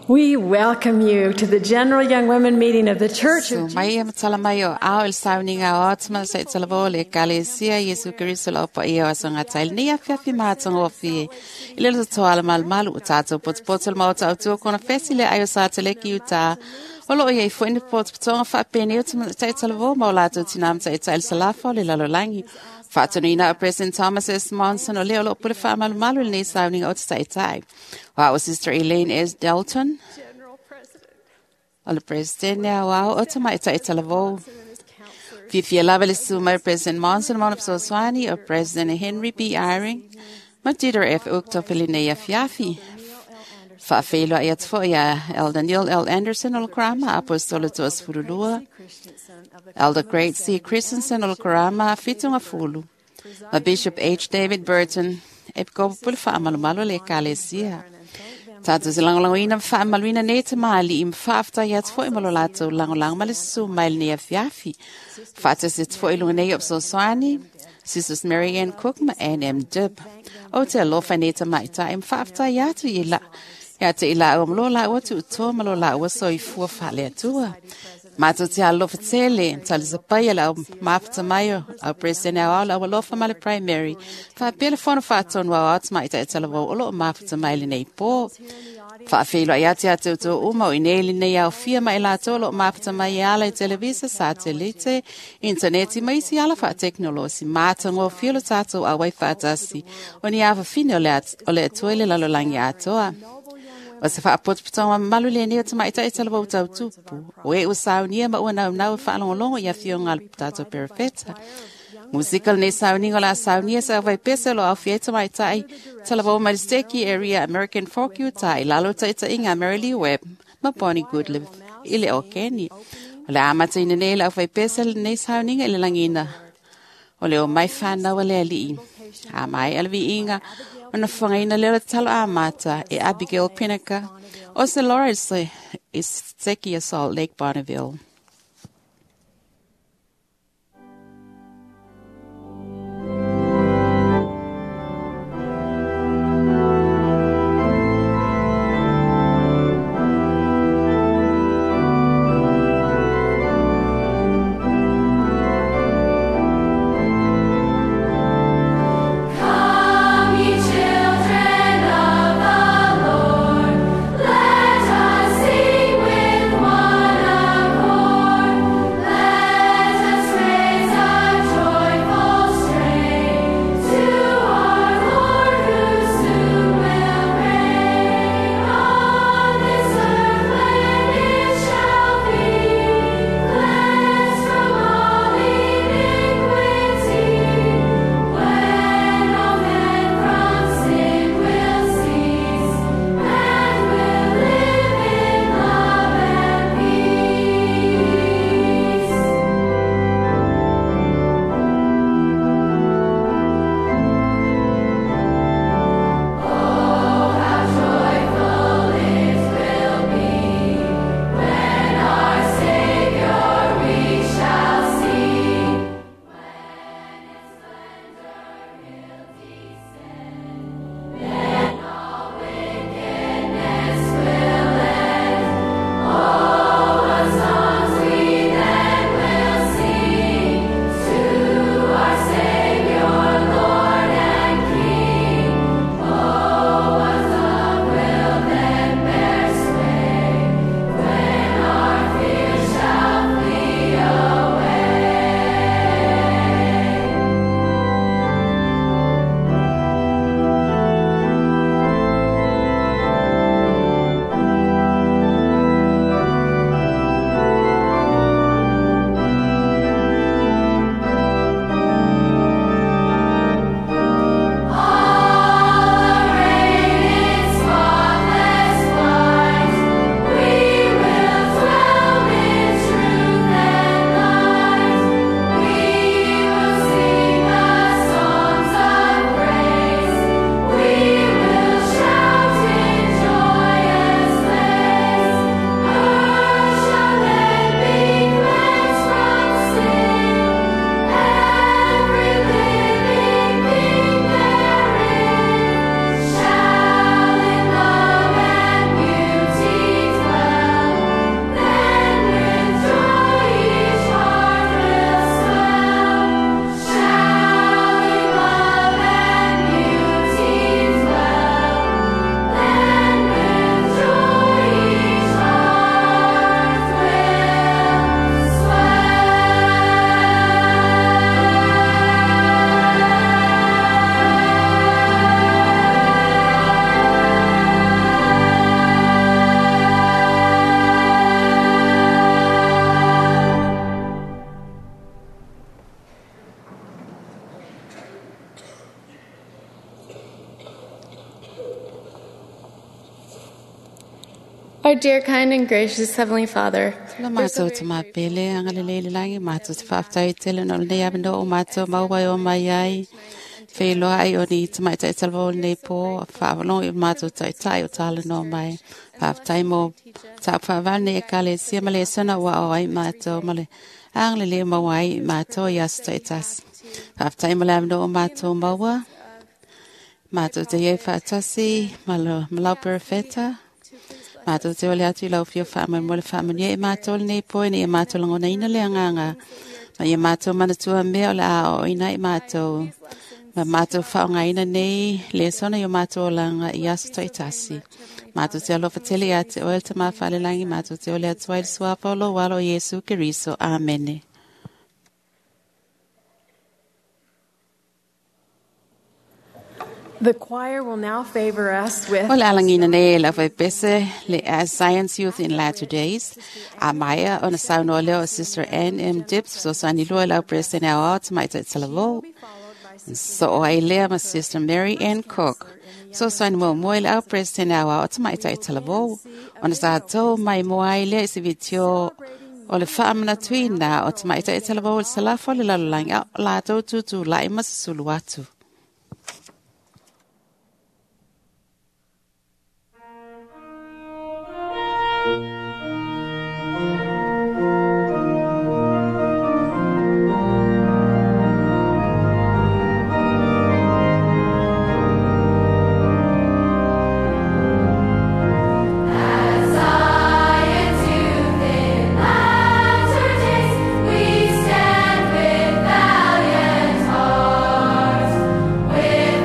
We welcome you to the General Young Women meeting of the Church So of mai e matala mai o ao il sauninga o atuma sa italavō le ekalesia Iesu Keriso lau paia o aso gatai lenei afiafi mahatagofie i le lototoa malumalu o tatou potopoto le maota autua kona fesi le ai o sa teleki utā o loo iai fo'i ni potopotoga faapenei o taʻitalavō ma o latou tinā ma taʻitaʻi le salafa o le lalolagi. Faatonuina o President Thomas S. Monson o lea o loo pule faamalumalu i lenei sauniga o te taʻitaʻi. O a'o Sister Elaine S. Dalton General President o le President aoao o tamaʻitaʻi talavou. and his counselors. Fiafia lava le susu mai o President Monson ma ona fesoasoani o President Henry B. Eyring ma Dieter F. Uchtdorf i lenei afiafi. Faafeiloai atu fo'i ia Elder Neil L. Anderson o le Karama Aposetolo 22, Christensen of the Elder Great C. Christensen o le Karama Fitugafulu, ma Bishop H. David Burton, Epikopo pule faamalumalu o le ekalesia. Tatou se lagolagoina ma faamaluina nei tamalii ma faafetai atu fo'i ma lo latou lagolago ma le susu mai lenei afiafi. Faatasi atu fo'i i luga nei o fesoasoani, Sisters Mary Ann Cook ma Ann M. Dibb. O te alofa nei tamaʻitaʻi ma faafetai atu i la ia te i laua ma lo laua tuutoa ma lo laua soifua faaleatua. Matou te alofa tele, talisapaia le au mafata mai o au President au au alofa ma le primary. Faapea le fono faatonu au au tamaʻitaʻi talavou o loo mafata mai lenei pō. Faafeiloai atu ia te outou uma o i nei lenei aofia ma i latou o loo mafata mai e ala i televisa, satelite, intaneti ma isi ala faatekonolosi. Matagofie lo tatou auai faatasi o ni afafine o le o le Atua i le lalolagi atoa. O se faapotopotoga mamalu lenei o tamaʻitaʻi talavou tautupu. O e ua saunia ma ua naunau e faalogologo i afioga a le tatou perofeta. Musika lenei sauniga o le a saunia sa aufaipese o lo aofia ai tamaʻitaʻi talavou mai le Steki Area American Fork Utah i lalo o taʻitaʻiga a Mary Lee Webb ma Bonnie Goodlive i le Okeni. O le amataina nei le aufaipese lenei sauniga i le lagina o le o mai whanau a le alii. A mai a le viiga, o na whangaina leo le talo amata e Abigail Pinaka o se Lawrence i Seki o Salt Lake Bonneville. Come, ye children of the Lord, let us sing with one accord. Our dear, kind, and gracious Heavenly Father, La mātou te māpele, anga le leile langi, mātou te whaaftai tele no nei awe no o mātou maua o mai ai. Wheiloa ai o ni te mai tai talvo nei pō, whaawalong i mātou tai tai o tala no mai. Whaaftai mō tā whaawal nei e kale sia ma le sona ua o ai mātou ma le anga le le maua ai mātou i aso tai tas. Whaaftai mo le awe no o mātou maua. Mātou te iei whaatasi, ma lo malau perfeta. Mātou te ole atu i lau fio whaamau mo le whaamau e mātou le nei poe nei e mātou langona ina le anganga. Ma ia mātou manatua mea o le a o ina i mātou. Ma mātou whaonga ina nei le sona i o mātou olanga i aso toi tasi. Mātou te alofa tele ia te oel te mawhale langi, mātou te ole atu ai le suapa o lo walo Yesu Keriso. Amene. The choir will now favor us with O le alangina nei la fai pese le As Science Youth in Latter Days. A maia ona saunoa leo Sister Ann M. Dibbs so sani lua lau president au ao te mai tai talavo. So o ai lea ma Sister Mary Ann Cook. So sani mo moi le au president au ao te mai tai talavo. Ona sa tau mai mo ai lea isi vitio o le whaamana tuina o te mai tai talavo o le salafo le lalolangi au la tau tutu lai ma susulu atu. Science youth in latter days, we stand with valiant hearts, with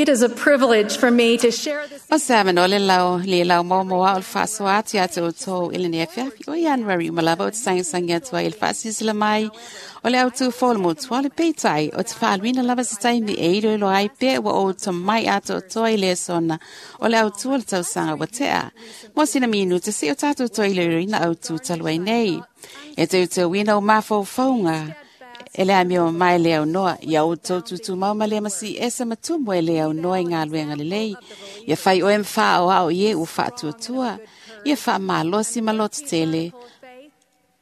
It is a privilege for me to share this O se avanoa le lau le lau maomaoa o le faasoa atu ia te outou i lenei afiafi o Ianuari uma lava ou te sagisagia atu ai i le faasilasila mai o le autū fou o le motu o le peitai o te faaluina lava se taimi e iloilo ai pea ua ou tomai atoatoa i le sona o le autū o le tausaga ua tea. Mo sina minute se o tatou toe iloiloina autū talu ai nei. E teuteuina o mafaufauga e le amio mai le aunoa, ia outou tutumau ma le masi ese ma tumu e le aunoa i galuega lelei. Ia fai oe ma faaoao i e ua faatuatua, ia faamalosi ma lototele.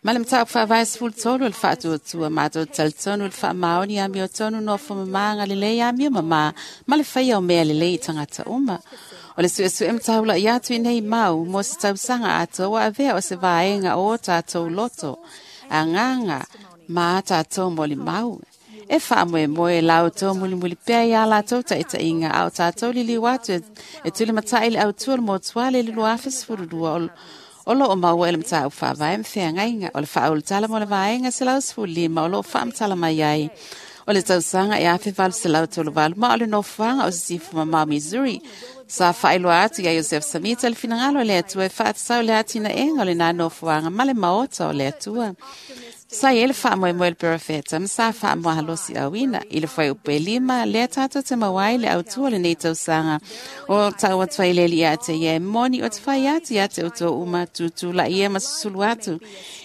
Ma le mataupu faavae 13 o le faatuatua matou talitonu i le faamaoni amiotonu nofo mama lelei amio mama ma le faia o mea lelei i tagata uma. O le suesue ma taula'i atu i nei mau mo se tausaga atoa ua avea o se vaega o o tatou loto, agaga ma a tatou molimau. E faamoemoe la outou mulimuli pea iā latou taʻitaʻiga a o tatou liliu atu e tulimataʻi le autua le motuale i le 2012 o loo maua i le mataupu faavae ma feagaiga o le faaulutala mo le vaega 115 o loo faamatala mai ai o le tausaga e 1838 ma o le nofoaga o Sisifo Mamao Missouri. Sa faailoa atu iā Iosefo Samita le finagalo o le Atua e faatatau le atinaega o lenā nofoaga ma le maota o le Atua. Sa i ai le faamoemoe le perofeta ma sa faamoahalosi auina i le fuaiupu e 5 lea tatou te maua ai le autua o lenei tausaga o tau atu ai le alii ia te ia e moni o te fai atu ia te outou uma tutulaʻia ma susulu atu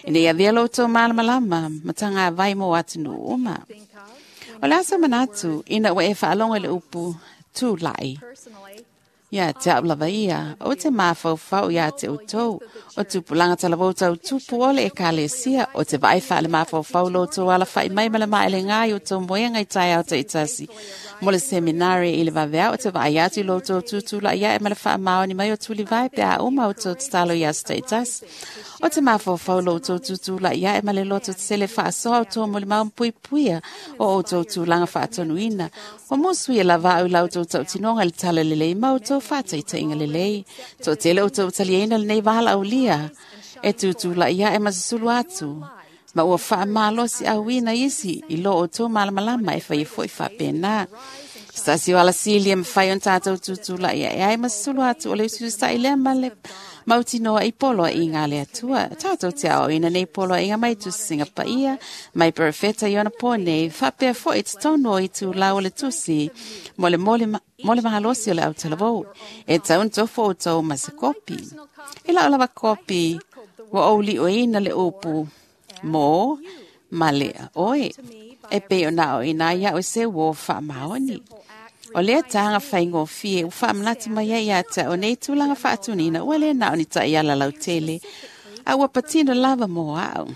ina ia avea lo outou malamalama ma tagavai mo atunuu uma. O le aso manatu ina ua e faalogo i le upu tulaʻi. Ia te au lava ia, o te mafaufau ia te outou, o tupulaga talavou tautupu o le ekalesia, o te vaai faale mafaufau lo outou alafaʻi mai ma le maelegā i outou moega i taeao taʻitasi. Mo le seminari i le vaveao o te vaai atu i lo outou tutulaʻi aʻe ma le faamaoni mai o tulivae pe a uma outou tatalo i aso taʻitasi. O te mafaufau lo outou tutulaʻi aʻe ma le loto tetele faasoa outou molimau ma puipuia o outou tulaga faatonuina. Ua musu ia lava au i la outou tautinoga i le tala lelei ma outou faataitaiga lelei. Toatele outou taliaina lenei valaaulia e tutulaʻi aʻe ma susulu atu. Ma ua faamalosi auina isi i lo outou malamalama e faia foʻi faapena. Se tasi o alasili e mafai ona tatou tutulaʻi aʻe ai ma susulu atu o le usiusitai lea ma le mautinoa i poloaiga a le Atua. Tatou te aoaoina nei poloaiga mai tusisiga paia, mai perofeta i ona pō nei, faapea foʻi totonu o itulau o le tusi mo le mo le malosi o le autalavou. E tau ona tofo outou ma se kopi. I lau lava kopi, ua ou liʻoina le upu mo ma le oe. E pei ona aoaoina ai iaʻu e se uō faamaoni. O lea taga faigofie ua faamanatu mai ai ia te au nei tulaga faatunina ua le na o ni taʻiala lautele, a ua patino lava mo aʻu.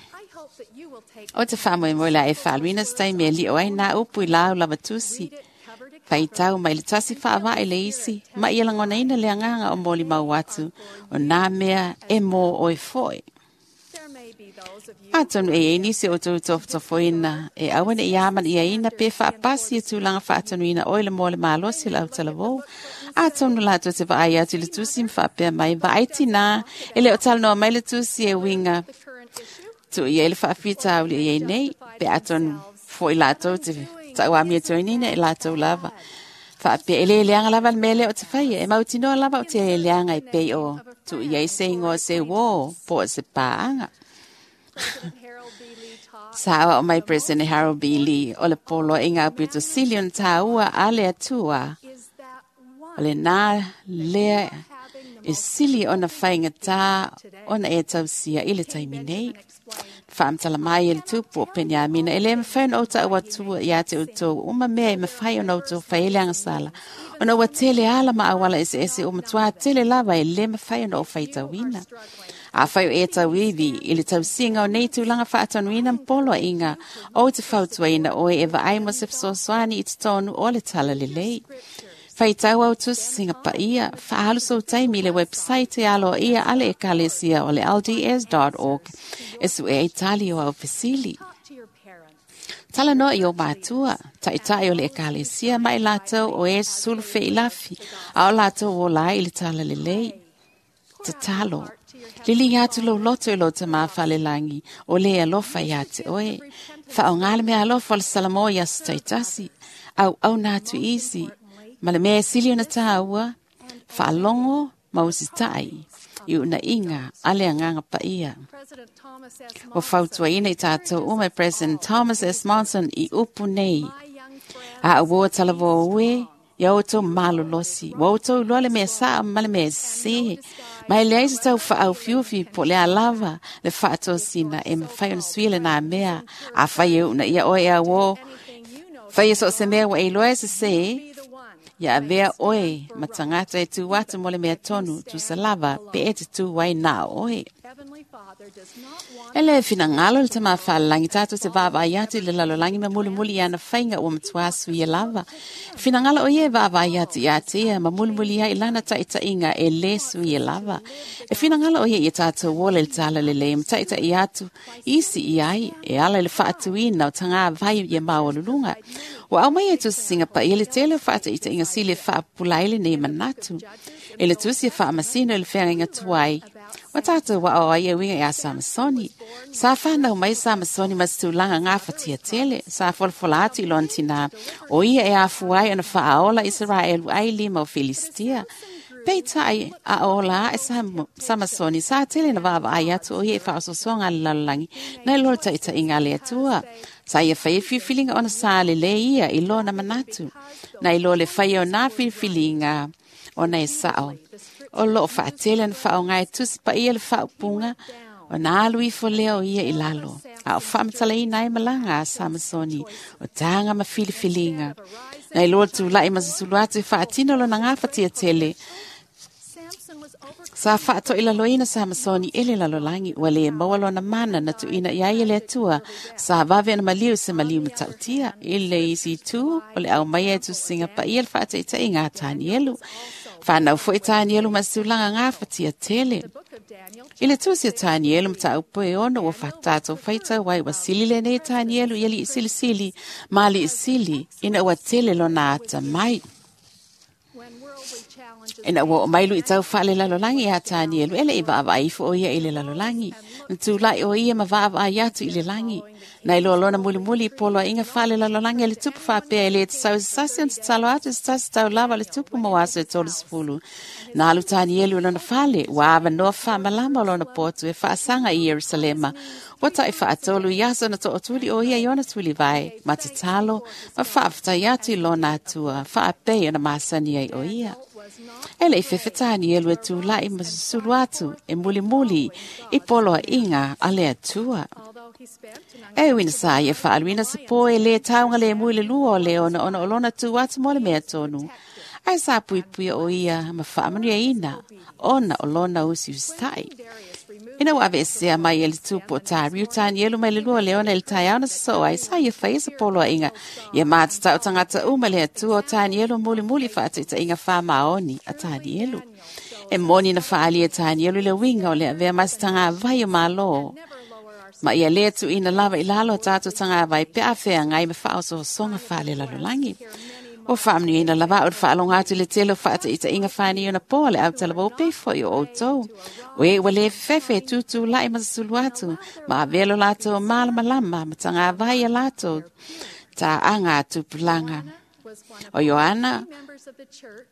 O te faamoemoe la e faaluina se taimi e liʻo ai nā upu i lau lava tusi. Faitau mai le tasi faavae le isi, ma ia lagonaina le agaga o molimau atu o nā mea e mō oe foʻi. Atonu e iai nisi o outou tofotofoina e aua neʻi amanaʻiaina pe faapasi e tulaga faatonuina oe le mo le malosi o le autalavou. Atonu latou te vaai atu i le tusi ma faapea mai, vaai tinā, e le o talanoa mai le tusi e uiga tuu i ai le faafitauli e iai nei, pe atonu foʻi latou te taʻuamia toeaina e latou lava. Faapea e lē leaga lava le mea lea o te faia, e mautinoa lava o te leaga e pei o tuu i ai se igoa se uō po o se pāaga. Sa aoao mai President Harold B. Lee o le poloaiga aupito sili ona tāua a le Atua. O lenā lea e sili ona faigatā ona e tausia i le taimi nei. Faamatala mai e le tupu o Peniamina e lē mafai ona ou taʻu atua iā te outou uma mea e mafai ona outou fai ai le agasala. Ona ua tele ala ma auala eseese ua matuā tele lava e lē mafai ona ou faitauina. Afai o e tauivi i le tausiga o nei tulaga faatonuina ma poloaiga, ou te fautuaina oe e vaai mo se fesoasoani i totonu o le tala lelei. Faitau au tusisiga paia, faaalu sou taimi i le website e aloaia a le ekalesia o le lds.org e suʻe ai tali o au fesili. Talanoa i o matua, taʻitaʻi o le ekalesia ma i latou o e susulu feilafi, a o latou ola ai i le tala lelei. Tatalo. Liliga atu lou loto i lou tamā falelagi, o le alofa iā te oe. Faaaogā le meaalofa o le Salamo i aso taitasi. Auauna atu isi. Ma le mea sili ona tāua, whaalongo ma usitai i unaiga a le Agaga Paia. Ua fautuaina i tātou uma e President Thomas S. Monson i upu nei. A ua talavō ue, ia outou malolosi. Ua outou iloa le mea saʻa ma le mea sesē. Ma e leai se tau faaufiufi po o le a lava le faatosina e mafai ona suia lenā mea. Afai e uunaia oe e auō, faia so o se mea ua e iloa e sesē, ia avea oe ma tagata e tu atu mo le mea tonu, tusa lava pe e te tu ai na oe. E le finagalo le Tama Fa'alelagi tatou te vaavaai atu i le lalolagi ma mulimuli i ana faiga ua matuā suia lava. E finagalo o ia e vaavaai atu ia te ia ma mulimuli ai i lana ta'ita'iga e lē suia lava. E finagalo o ia ia tatou ola i le talalelei ma ta'ita'i atu isi i ai e ala i le fa'atuina o tagavai ia maualuluga. Ua aumai e tusisiga paia le tele o fa'ataʻitaʻiga sili e fa'apupula ai lenei manatu. E le tusi e fa'amasino i le feagaiga tuai. Ua tātou wao ai e uiga ia Samasoni. Sa whanau mai Samasoni ma se tulaga gafatia tele. Sa folafola atu i lona tinā. O ia e afua ai ona faaola Isaraelu ai lima o Filistia. Peitai a ola ae Samasoni sa tele na vaavaai atu o ia i faaosoasoaga a le lalolagi nai lo le taʻitaʻiga a le Atua. Sa ia faia filifiliga ona sa lelei ia i lona manatu. Nai lo le faia o nā filifiliga ona e saʻo. O loo faatele na faaaoga e tusi paia le faaupuga ona alu ifo lea o ia i lalo. A o faamatalaina ai malaga a Samasoni o taga ma filifiliga. Nai loa le tulaʻi ma susulu atu e faatino lona gafatia tele. Sa faatoʻilaloina Samasoni e le lalolagi ua lē maua lona mana na tuuina i ai e le Atua. Sa vave ona maliu se maliu matautia. I le isi itū o le aumaia e tusisiga paia le faataʻitaʻiga a Tanielu. Whanau foʻi Tanielu ma se tulaga gafatia tele. I le tusi o Tanielu mataupu e 6 ua tatou faitau ai ua sili lenei Tanielu i alii silisili ma alii sili ina ua tele lona atamai. Ina ua oo mai luʻitau faalelalolagi ia Tanielu e leʻi vaavaai ifo o ia i le lalolagi. Na tulaʻi o ia ma vaavaai atu i le lagi. Nai loa lona mulimuli i poloaiga faalelalolagi a le tupu faapea e lē tatau i se tasi ona tatalo atu i se tasi tau lava o le tupu mo aso e 30. Na alu Tanielu i lona fale, ua avanoa faamalama o lona potu e faasaga i Ierusalema. Ua taʻi faatolu i aso na toʻotuli o ia i ona tulivae, ma tatalo, ma faafetai atu i lona Atua, faapei ona masani ai o ia. E leʻi fefe Tanielu e tulaʻi ma susulu atu e mulimuli i poloaiga a le Atua. E ui na sa ia faaluina se pō e lē taugalemu i le lua o le ona ona o lona tu atu mo le mea tonu. Ae sa puipuia o ia ma faamanuiaina ona o lona usiusitai. Ina ua aveesea mai e le tupu o Tariu Tanielu mai le lua o le ona i le taeao na sosoo ai, sa ia faia se poloaiga ia matatau tagata uma le Atua o Tanielu mulimuli faataʻitaʻiga faamaoni a Tanielu. E moni na faaali e Tanielu i le uiga o le avea ma se tagavai o Malo. Ma ia lē tuuina lava i lalo o tatou tagavai pe a feagai ma faaosoasoga faalelalolagi. Ua faamanuiaina lava a'u i le faaloga atu i le tele o faataʻitaʻiga fanei ona pō a le autalavou pei foʻi o outou. O e ua lē fefefe e tutulaʻi ma susulu atu ma avea lo latou malamalama ma tagavai ia latou taʻaga a tupulaga. O Ioana,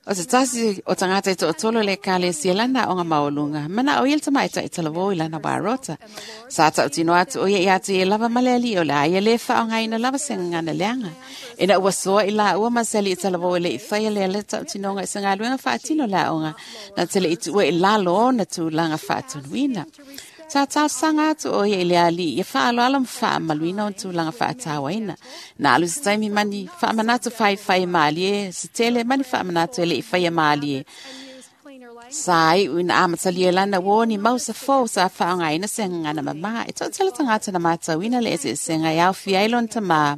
o se tasi o tagata e toʻatolu o le Ekalesia lana aoga maualuga, manaʻo ia le tamaʻitaʻi talavou i lana warota. Sa taʻutino atu o ia ia te ia lava ma le alii o le a ia lē faaaogaina lava se gagana leaga. Ina ua soa i laua ma se alii talavou e leʻi faia lea le taʻutinoga i se galuega faatino le aoga, na te leʻi tuua i lalo ona tulaga faatonuina. Sa talosaga atu o ia i le alii ia faaaloalo ma faamaluina ona tulaga faatauaina. Na alu se taimi mani faamanatu faifai mālie, se tele mani faamanatu e leʻi faia mālie. Sa iʻu ina amatalia lana ua oni mau se fou sa faaaogaina se gagana mamā. E toʻatele tagata na matauina le eseesega e aofia ai lona tamā.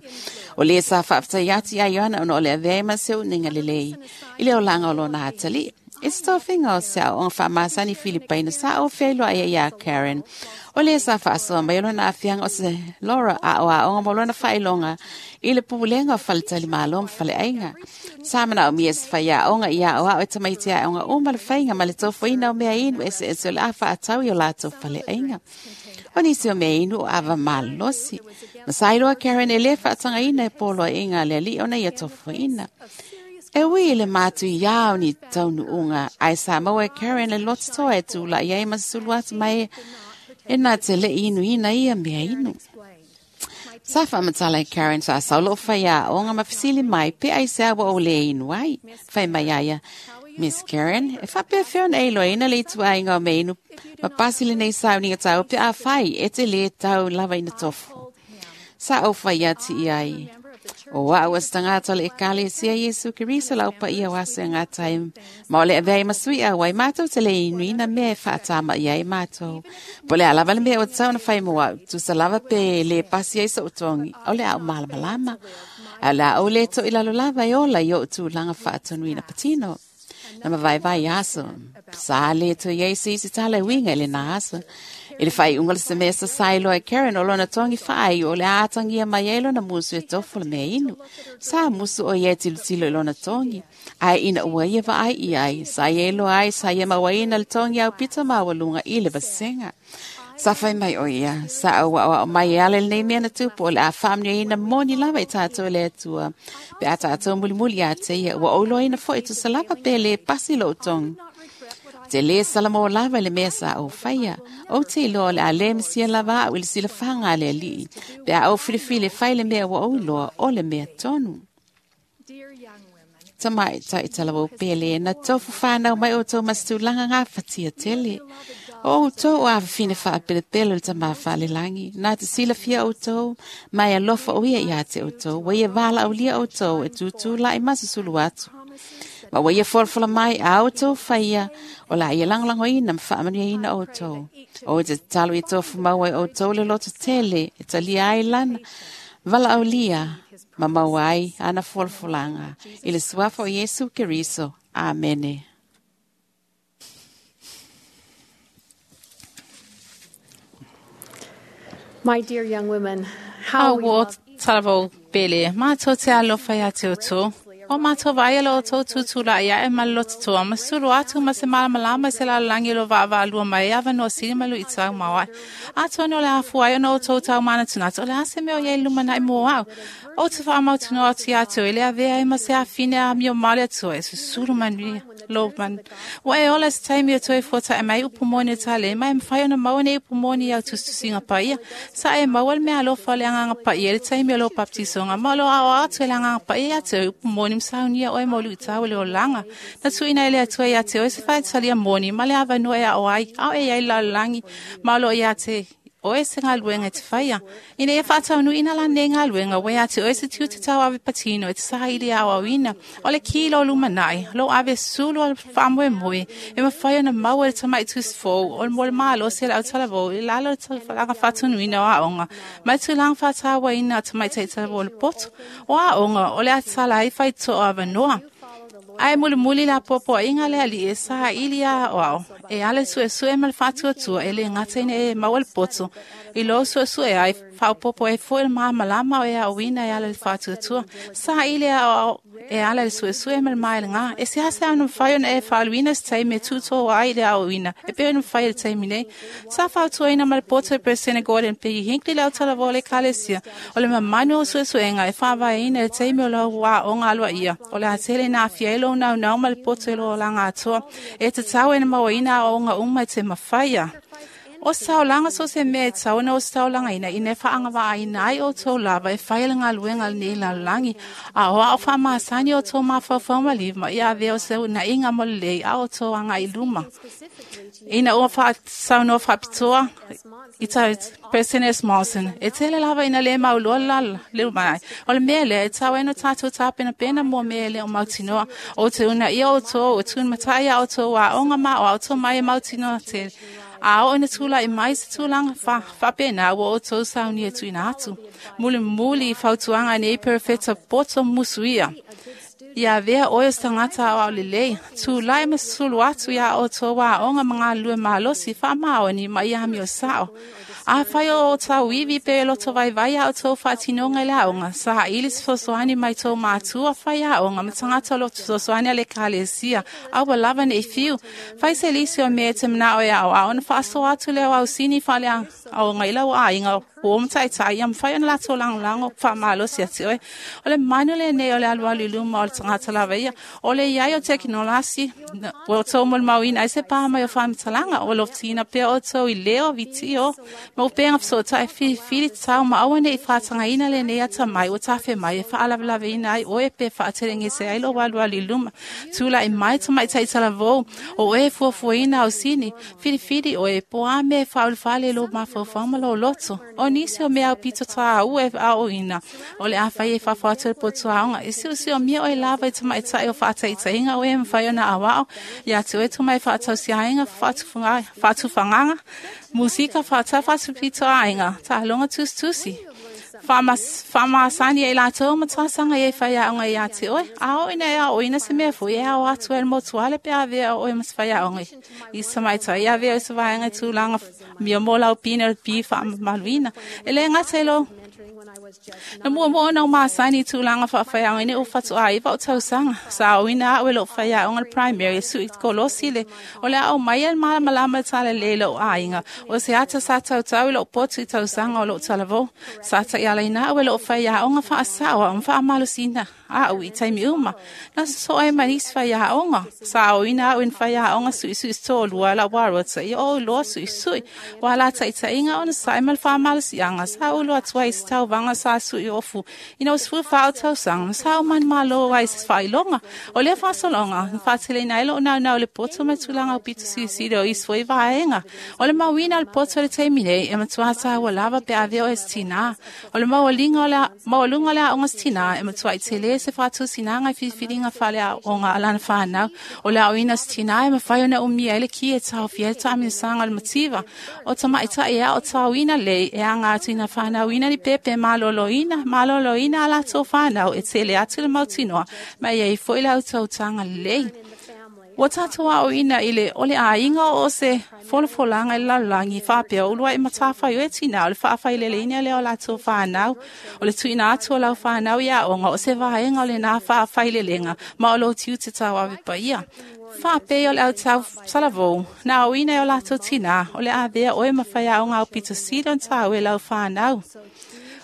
O lē sa faafetai atu iā Ioana ona o le avea ai ma se uʻuniga lelei i le olaga o lona atalii. I se tofiga o se aoaoga faamasani Filipaina sa ofea iloa ai iā Karen. O lē sa faasoa mai o lona aafiaga o se Laura aoaoga mo lona faailoga i le pulega o faletalimalo ma faleaiga. Sa manaomia e se faiaoga i aoao e tamaiti aoga uma le faiga ma le tofoina o mea inu eseese o le a faatau i o latou faleaiga. O nisi o mea inu o ava malosi. Ma sa iloa Karen e lē faatagaina e poloaiga a le alii ona ia tofoina. E ui le matu iau ni taunuuga, ae sa maua e Karen le lototoa e tula'i ai ma susulu atu mai e na te le'i inuina ia mea inu. Sa faamatala e Karen sa sau loo faiaoga ma fesili mai pe aisea ua ou lē inu ai. Fai mai ia ia, Miss Karen, e faapefea ona e iloaina le ituaiga o mea inu ma pasi lenei sauniga taua pe afai e te lē tau lava ina tofu. Sa ou fai atu i ai, O a'u o se tagata o le Ekalesia Iesu Keriso lau paia o aso e gata ai, ma o le avea ai ma sui auai matou te le inuina mea e faatama'i ai matou. Po o le a lava le mea ua tatau ona fai mo a'u, tusa lava pe lē pasi ai so'u togi, o le a ou malamalama. Ae o le a ou lē to'i lalo lava e ola i o'u tulaga faatonuina patino. Na mavaevae aso, sa lē toe i ai se isi tala e uiga i lenā aso. I le faaiuga o le semesa sa iloa e Karen o lona togi faaiu o le a atagia mai ai lona musu e tofu le mea inu. Sa musu o ia e tilotilo i lona togi, ae ina ua ia vaai i ai, sa ia iloa ai sa ia mauaina le togi aupito maualuga i le vasega. Sa fai mai o ia, sa ou aʻoaʻo mai e ala i lenei mea na tupu o le a faamanuiaina moni lava i tatou e le Atua. Pe a tatou mulimuli ia te ia, ua ou iloaina foi tusa lava pe lē pasi lou togi. Ou te lē salamo lava i le mea sa ou faia. Ou te iloa o le a lē misia lava a'u i le silafaga a le Alii, pe a ou filifili e fai le mea ua ou iloa o le mea tonu. Tamaitai talavou pele, na tofu whānau mai o tō ma se tulaga gafatia tele. O outou o afafine faapelepele o le Tamā Faalelagi, na te silafia outou, ma e alofa o ia iā te outou, ua ia valaaulia outou e tutula'i ma susulu atu. Ma ua ia folafola mai a outou faia, o le a ia lagolagoina ma faamanuiaina outou. Ou te tatalo ia tofu maua e outou le loto tele e talia ai lana valaaulia ma maua ai ana folafolaga i le suafa o Iesu Keriso. Amene. My dear young women, how we Ua love talavou pele, matou te alofa iā te outou. O matou vaai lo outou tutula'i aʻe ma le lototoa, ma sulu atu ma se malamalama i se lalolagi o lo vaavaalua mai e avanoa sili ma luʻitau maoaʻe. Atonu o le afua ai ona outou taumanatunatu, o le a se mea o iai lumanaʻi mo a'u. Ou te faamautunoa atu iā te oe le avea ai ma se afine amio ma le Atua e susulu manuia lou manu. Ua e ola se taimi e toe fuataʻe mai upu moni o tale ma e mafai ona maua nei upu moni i au tusitusiga paia. Sa e maua le mea alofa o le Agaga Paia i le taimi o lou baptisoga ma o loo aoao atu e le Agaga Paia iā te oe upu moni ma saunia oe mo luʻitau o le olaga. Na tuuina e le Atua iā te oe se faitalia moni ma le avanoa e aʻo ai, ao e iai le lalolagi ma o loo iā te oe se galuega e te faia. Ina ia faataunuuina lanei galuega, ua iā te oe se tiute tauave patino e te saili aoaoina. O le ki lo lumanaʻi, lou ave sulu o le faamoemoe, e mafai ona maua e le tamaʻi tusifou o le mo le malosi a le autalavou i lalo o le tulaga faatonuina o aoga, ma le tulaga faatauaina o tamaitaʻi talavou o le poto. O aoga o le a tatala ai faitotoa avanoa. Ae mulimuli le apoapoaiga le alii e saili aoao e ala i suesue ma le faatuatua e lē gata ina e maua le poto i lou suesue ai faaopopo ai foi le malamalama o e aoina e ala i le faatuatua. Saili aoao e ala i le suesue ma le maelegā. E seasea ona mafai ona e faaluina se taimi e tutō ai i le aoina e pei ona mafai i le taimi nei. Sa fautuaina ma le poto e Peresene Gordon P. Hinckley le autalavou o le Ekalesia o le mamanu o suesuega e faavaeina i le taimi o lau aoga aloaia o le a tele ina aafia ai lou naunau ma le poto i lou olaga atoa e tatau e na mauaina aoaoga uma e te mafaia. O se taulaga so o se mea e tatau ona ositaulagaina ina e faagavaaina ai outou lava e fai le galuega lenei lalolagi. A o ao faamasani outou mafaufau maliu ma ia avea o se uunaiga mo lelei a outou agaʻi i luma. Ina ua faasaunoa faapitoa i President S. Monson, e tele lava ina lē mauloa le lala le lumanaʻi. O le mea lea e tatau ai ona tatou tapenapena mo mea e le o mautinoa. Ou te uunaia outou e tuumataʻi iā outou aoga ma aoao mai e mautinoa tele. A oo ina tulaʻi mai se tulaga faapena ua outou saunia e tuuina atu. Mulimuli i fautuaga a nei perofeta poto musuia. Ia avea oe o se tagata aoao lelei, tulaʻi ma susulu atu iā outou aoga ma galulue malosi faamaoni ma ia amio saʻo. Afai o tauivi pe loto vaivai a outou faatinoga i le aoga, saili se fesoasoani mai tou matua fai aoga ma tagata o lo fesoasoani a le Ekalesia, a ua lava nei fiu. Fai se lisi o mea e te manao e aoao ona faasoa atu lea o ausini faale aoga i lau aiga uo ma ta'ita'i ia mafai ona latou lagolago fa'amalosi ati oe. O le manu lenei o le alualu i luma o le tagata lava ia o le iai o tekinolasi ua outou molimauina ai se pa mai o faamatalaga ua lofutiina pea outou i leo vitio ma upega fesoota'i filifili tatau ma aua ne'i fatagaina lenei atamai ua tafe mai e fa'alavelave ai oe pe fa'atelegese ai lou alualu i luma. Tula'i mai tamaita'i talavou o oe e fuafuaina ausini filifili oe po a mea e faaulufale i lou mafaufau ma lou loto. O nisi o mea aupito tāua e aoina o le a fai e fafo atu le potuaoga e siosiomia oe lava i tamaita'i o fa'ataitaiga oe e mafai ona aua'o ia te oe tomai fa'atausiāiga fa'atufagaga musika fa'atau fa'atupitoaiga ta'aloga tusitusi fa'amasani ai latou ma tasaga ia i faiaoga iā te oe. A oo ina e aoina se mea fo'i e ao atu ai le motuale pe avea oe ma se faiaoga i se tamaitai avea i se vaega i tulaga mia mo laupine o le pi fa'amamaluina. E lē gata i lou na muamua ona masani i tulaga fa'afaiaoga ina ua fatu'āiva o tausaga sa aoina a'u e lo'u faiaoga le primary e su'i kolosi le o le a'o mai e le malamalama le talalelei i lo'u aiga o se ata sa tautau i lo'u potu i tausaga o lo'u talavou sa ta'ialaina a'u e lo'u faiaoga fa'asa'o a'u ma fa'amalosina a'u i taimi uma na soso'o ai ma nisi faiaoga sa aoina a'u i na faiaoga su'isu'i to'alua la'u arota ia o iloa su'isu'i ua la ta'ita'iga ona sa'i ma le fa'amalosi'aga sa ulu atu ai i se tauvaga sa su'i ofu ina ua sefulu fā o tausaga ma sa umani mālō ai se fa'ailoga. O lea fa'asologa na fa'ateleina ai lo'u naunau i le poto ma le tulaga aupito silisili o isi fo'i vaega. O le mauina o le poto i le taimi nei e matuā tāua lava pe avea oe se tinā. O le maualuga o le a'oga se tinā e matua'i telē se fa'atusinaga i filifiliga fa'alea'oga a lana fanau. O le a'oina se tinā e mafai ona umia ai le ki e taofia ai le ta'amilosaga o le mativa. O tama'ita'i e a'o taoina lei e aga atu ina fanauina ni pepe malōlōina malōlōina a latou fanau e tele atu le mautinoa ma e ai fo'i le autautaga lelei. Ua tatou a'oina i le o le aiga o se folafolaga i le lalolagi fa'apea ulua'i matafai oe tinā o le fa'afaileleina lea o latou fanau. O le tu'uina atu o lau fanau i a'oga o se vaega o lenā fa'afailelega ma o lou tiute tauave paia. Fa'apei o le autau talavou na aoina e o latou tinā o le avea oe ma faiaoga aupito sili ona tāua e lau fanau.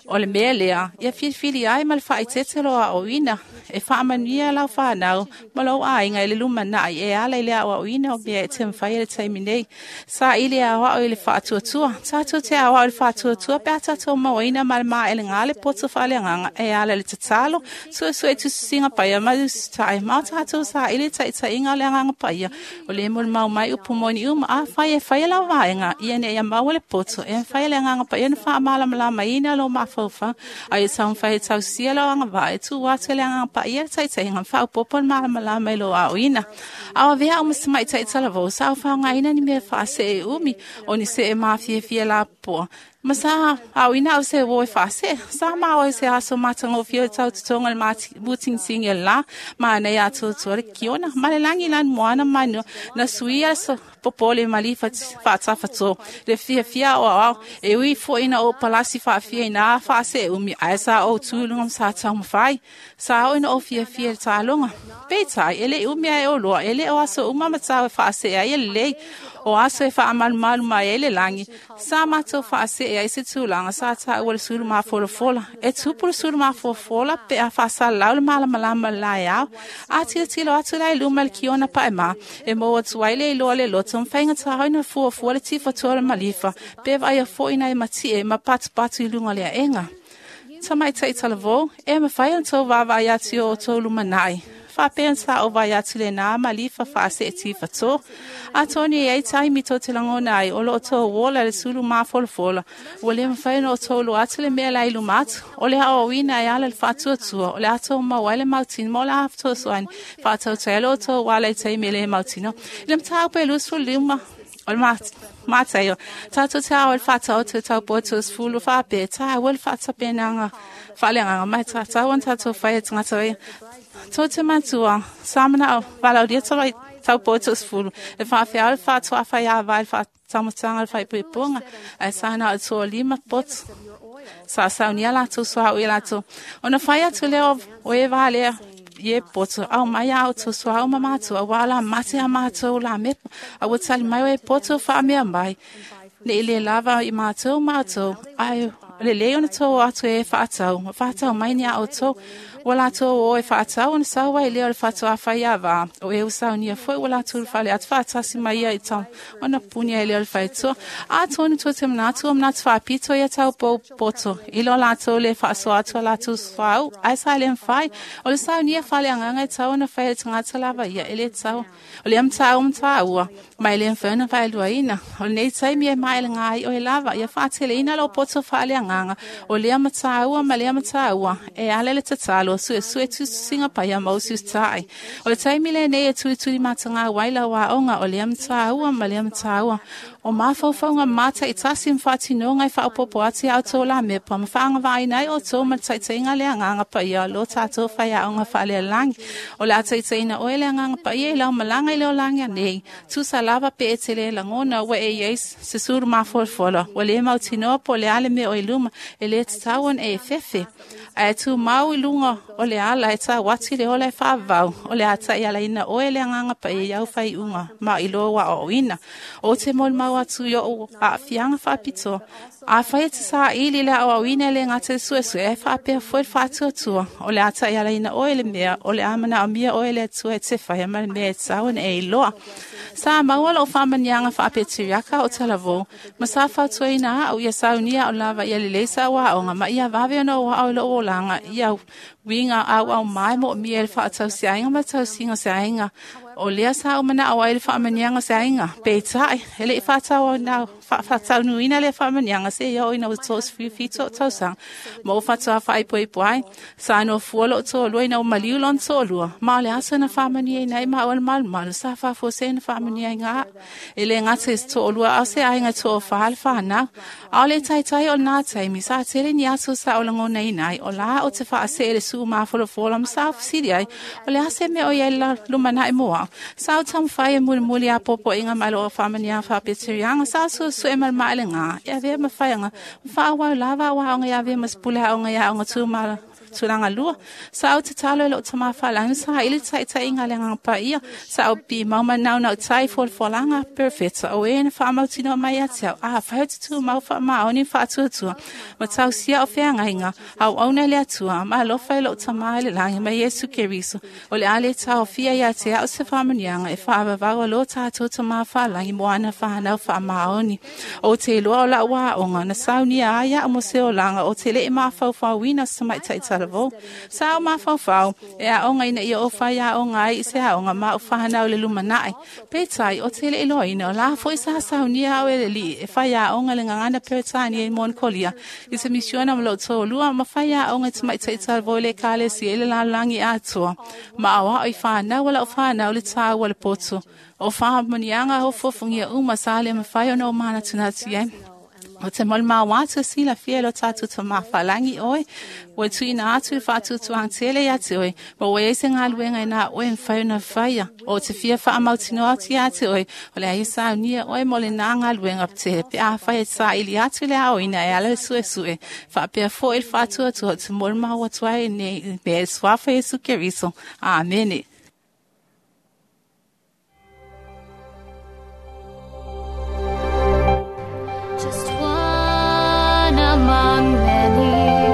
O le mea lea ia filifili ai ma le fa'aitete lo a'oina e fa'amanuia lau fanau ma lou aiga i le lumana'i e ala i le a'oa'oina o mea e te mafai e le taimi nei. Sa'ili e aoa'o i le fa'atuatua tatou te aoa'o i le fa'atuatua pe a tatou mauaina ma le mā'elegā le poto fa'aleagaga e ala i le tatalo su'esu'e tusisiga paia ma usita'i ma o tatou sa'ili ta'ita'iga o le agaga paia o lē molimau mai upu moni uma. Afai e faia lau vaega ia ina ia maua le poto e mafai e le agaga paia ona fa'amalamalamaina lou mafaufau a ia taumafai e tausia lau agava'a e tu'u atu e le agaga paia le ta'ita'iga ma fa'aopoopo le malamalama i lou a'oina. Ao avea a'u ma se ma'ita'i talavou sa aufaogaina ni mea fa'ase'e umi o ni se'e mafiafia lapopoa ma sa aoina a'u se uō e fa'ase'e sa ma oe se aso matagofie o le tautotoga le mutigitigi o le lā ma anei atoatoa le kiona ma le lagi lani moana manua na suia le popole malifa fa'atafatō le fiafia a'oa'o e ui fo'i na ou palasi fa'afia inā fa'ase'e umi ae sa ou tu i luga ma sa taumafai sa oo ina ou fiafia i le taloga. Peitai e le'i umi ae oloa e lē o aso uma ma tau e fa'ase'e ai e lelei o aso e fa'amalumalu mai ai le lagi sa matou fa'ase'e ai se tulaga sa ta'ua le sulu mafolafola e tupu le sulu mafolafola pe a fa'asalalau le malamalama o le laeao a tilotilo atu la i luma i le kiona pa'emā e mou atu ai le iloa le loto ma faigatā ai na fuafua le tifatoa o le malifa pe va'aia fo'i nai mati'e ma patupatu i luga o le a'ega. Tamaita'i talavou e mafai ona tou vaavaai atu i o outou lumana'i fa'apea ona sa'o vai atu lenā malifa fa'ase'e tifatō. Atonu e ai taimi tou te lagona ai o lo'o tou ola le sulu mafolafola ua lē mafai ona outou iloa atu le mea la i luma atu. O le a'oa'oina e ala i le fa'atuatua o le a tou maua ai le mautino ma o le a fesoasoani fa'atautai ai lo outou ala i taimi e lē mautinoa. I le mataupu e 25 o le Mataio tatou te ao i le fa'ataoto i taupoa sefulu fa'apea tāua le fa'atapenaga fa'aleagaga mai tatau ona tatou fai e tagata ia tou te matua sa mana'o valaulia taupoa 10 e fa'afeao le fa'ato'afaiāvā i le fa'ataumataga o le fa'aipuipuga ae sa na o le toalima poto sa saunia latou suā'u ia latou ona fai atu lea o e valea i e poto au mai a outou suā'u ma matou auā o la mate a matou la mepa a ua tali mai o e poto fa'amea mai Nei le lava i mātou mātou, ai le lei ona tō atu e whaatau, ma whaatau mai ni a o tō, wa lātou o e whaatau ona sau ai lea o le whatua whai a vā, o e usau nia foi wa lātou whale atu whaatasi mai ia i tau, ona puni ai lea o le whaetua, a tōnu tō te manatu o manatu whaapito ia tau pō poto, i lo lātou le whaaso atu a lātou swau, ai sa le mwhai, o le sau nia whale anganga i tau ona whai e tangata lava ia, e le tau, o le amta o mta ua, mai le mwhaina whaelua o le nei taimi e mai le ngai o e lava, ia whaatele ina lo poto whaale anganga, o lea mataua ma lea mataua, e ale le tatalo, sue sue tusinga paia mausi tai. O le taimi le nei e tui tui matanga waila wa onga, o lea mataua ma lea mataua. O mawhauwhaunga mata i tasi mwhatinonga i whaopopo ati au tō la mepa, ma whaanga vai nei o tō ma taitainga le anganga pa ia lo tātou whaia onga whaale langi. O le ataitaina oe le anganga pa ia i lau malanga i leo langi anei. Tusa lava pe e tele langona ua e iei se suru mafolfola. Ua le mautinoa po le ale mea o i luma e le tatau ona e fefe. Ae tu mau i lunga o le ala e tā wati le ola e whaavau. O le ata i ala ina oe le anganga pa e iau whai unga ma i loa wa o ina. O te mol mau atu i o a fianga whaapito. A whai e te saa ili le au ina le ngā te sue sue e whaapea foe whaatua tua. O le ata i ala ina oe le mea o le amana o mia oe le atua e te whai ama le mea e tau e iloa. Sa maua lo whamanianga whaapetiriaka o talavō. Ma sa whautua ina au ia saunia o lava ia le leisa wa o ngā ma ia wawe ona o au lo o langa ia winga au au mai mo mi e whaatau se ainga ma tau singa se ainga. O lea sa o mana au ai le whaamanianga se ainga. Pe tai, hele i whaatau au nau, whaatau nuina le whaamanianga se ia o ina o tōs whiwhito o tausanga. Ma o whatua whaipo i poai, sa no fuolo o tō lua ina o maliu lon tō lua. Ma o le asa na whaamania ina i ma o le malu malu, sa whafo se na whaamania i ngā. E le ngate se tō lua au se ainga tō whaale whanau. Au le taitai o nā taimi, sa tele ni aso sa o langona inai, o la o te whaase le su mafolofola ma sa ofisiri ai, o le ase me o ia la lumana i moa. Sa o tamwhai e muli muli a popo inga mai lo o whamania whapeterianga, sa su su e mal maile ngā, ia vea mawhaianga, whaawau lava wa onga ia vea maspule onga ia onga tūmala. Tūranga lua. Sa au te talo e lo tama whalanga, sa ili tai tai inga le nganga pa ia, sa au pi mauma nau nau tai folfolanga, perfect. O e na whaamautino mai ate au, a whai te tū mau wha maoni whaatuatua, ma tau sia o wheanga inga, au auna le atua, ma alofa e lo tama le langi ma Yesu Keriso, o le ale tau fia ia te au se whamanianga, e whaavavau lo tātou tama whalangi moana whanau whaamaoni. O te loa o la waonga, na saunia aia o mo se o langa, o te le e mawhauwhauina sa mai taitala. Sa o mawhauwhau, e a onga ina ia o whai a onga ai i se a onga ma o whanau le lumanai. Pētai, o te le iloa o la foi sa saunia au e le li, e whai a onga le ngangana peretani e Monkolia. I se misiona ma lo tō lua, ma whai a onga te mai teital voi le kale si ele la langi atua. Ma awa o i whanau wala o whanau le tāu wale poto. O whahamanianga o fofungia uma sa le mawhai ona o mana tunatu e. O te mol mawatu si la fia lo tatu te mawhalangi oe, o tui ina atu i whaatutu ang tele ia te oe, ma oe ese ngā luenga ina oe mwhai na whaia, o te fia whaamautino atu ia te oe, o le aisa au nia oe mo le nā ngā luenga te pe a whai e tā ili atu le ao ina e ala sue sue, whaapea fo e whaatua atu o te mol mawatu ai nei, me e swafa Yesu Keriso. Amene. Just one among many,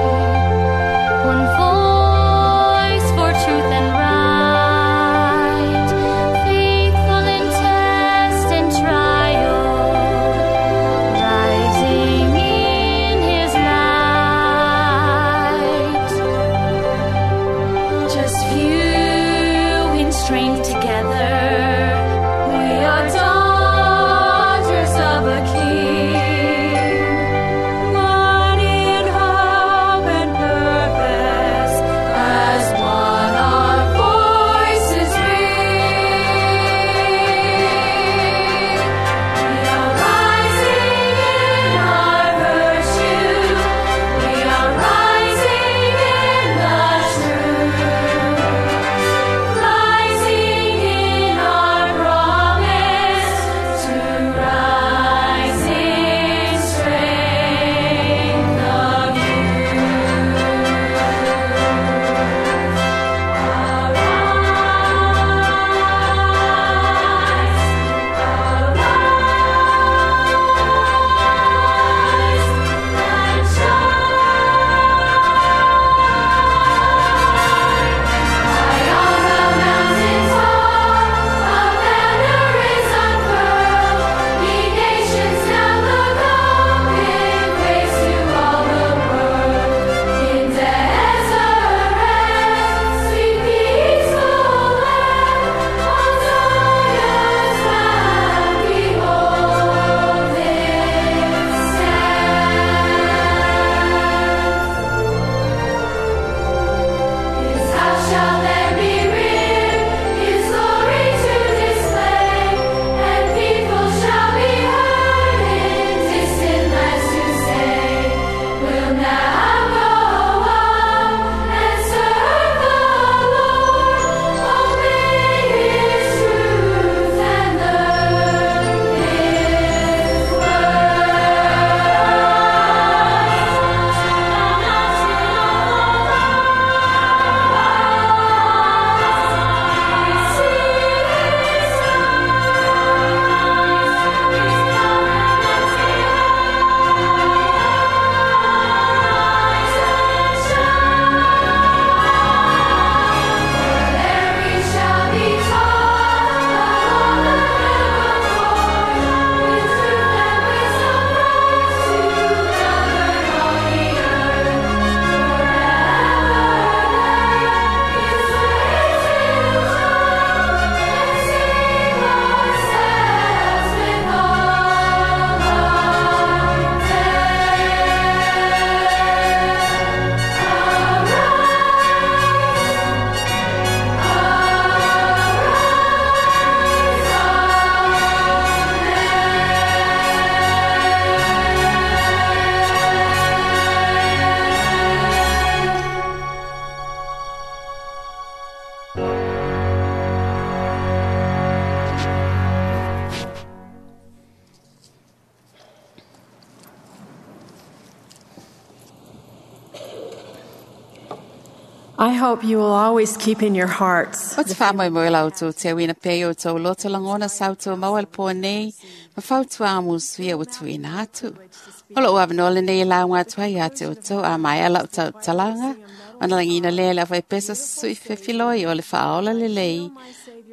one voice for truth and right, faithful in test and trial, rising in his light. Just few I hope you will always keep in your hearts O te whaamoi moi lau tō te awina pē o tō loto langona sau tō maua le pō nei, ma fautua amu suia o tuina atu. O lo uawa le nei lau ngā tua ia te o tō a mai ala o tau talanga, o na langina lea le awai pesa sui fefiloi o le whaola le lei,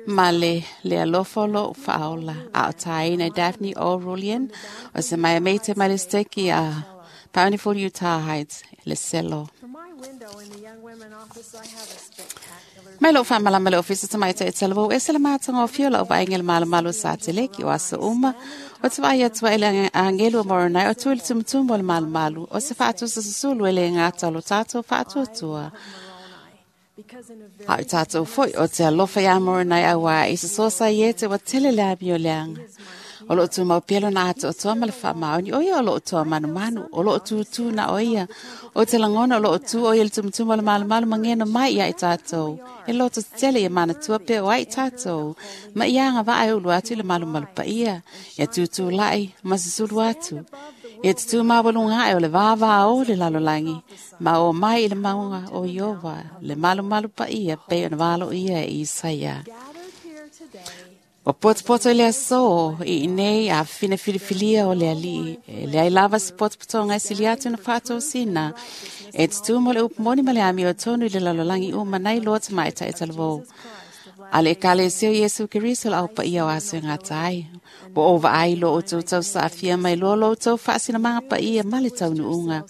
ma le le alofa lo o whaola. A o tāina Daphne O. Rulian, o se mai meite mai le steki a Bountiful Utah Heights, le selo. From my window in the Young Women office, I have a spectacular Mai lou faamalama le ofisa tamaita e talavou e se le mātaga o fio lau vaaiga le malomalo sa teleki o aso uma o te vaai atua i le agelu o Moronai o tui le tumutumu o le malumalu o se faatusa susulu e le gata o lo tatou faatuatua. because in a very A o tātou foi o te alofa iā Moronai auā i se sosa i e te wa tele le amio leaga. O loo tumau pea lona atoatoa ma le faamaoni, o ia o loo toa manumanu, o loo tūtū na o ia. O te lagona o loo tū o ia le tumutumu o le malumalu ma geno mai ia i tātou. E loto tele ia manatua pea o ai tātou. Ma ia anga vaa e ulu atu i le malumalu paia. Ia tūtū lai, ma susulu atu. Ia te tū mawalunga e o le vāvā o le lalolangi. Ma o mai i le maunga o Iova, le malumalu paia pe ona valo ia e Isaia. gathered here today O potopoto i le aso i nei a fine filifilia o le alii. E le ai lava se potopotoga e sili atu na faatosina. E tutū mo le upu moni ma le ami o tonu i le lalolagi uma nei loa tamaita e talavou. A le ekalesia o Iesu Keriso la au paia o aso e gata ai. Ua ou vaai lo outou tausaafia mai loa lo outou faasinamaga paia ma le taunuuga.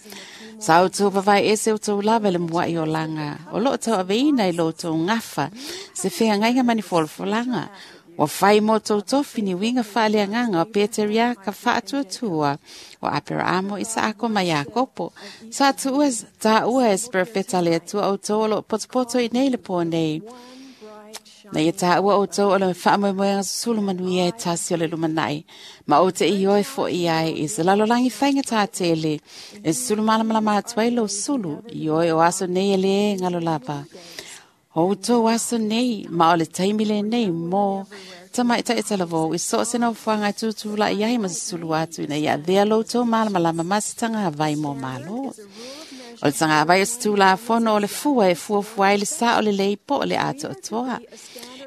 Sa outou vavae ese outou lava i le muaʻi olaga. O loo tauaveina i lo outou gafa se feagaiga ma ni folafolaga. Ua fai mo tou tofi ni uiga faaleagaga o Peteriaka faatuatua o Aperaamo i Saako ma Iakopo. Sa tuua tāua e se perofeta le Atua outou o loo potopoto i nei le pō nei. bright Na ia tāua outou o le faamoemoega susulu manuia e tasi o le lumanai. Ma o te ioi fo i ai i se lalolagi faiga tātele. E susulu malamalama atu ai lou sulu i oe o aso nei e lē galo lava. O outou aso nei, ma o le taimi lenei mo tamaitaʻi talavou i so o se nofoaga e tutulaʻi ai ma susulu atu ina ia avea lo outou malamalama ma se tagavai mo mālō. O le tagavai o se tulafono o le fua e fuafua ai le sa o lelei po o le atoatoa.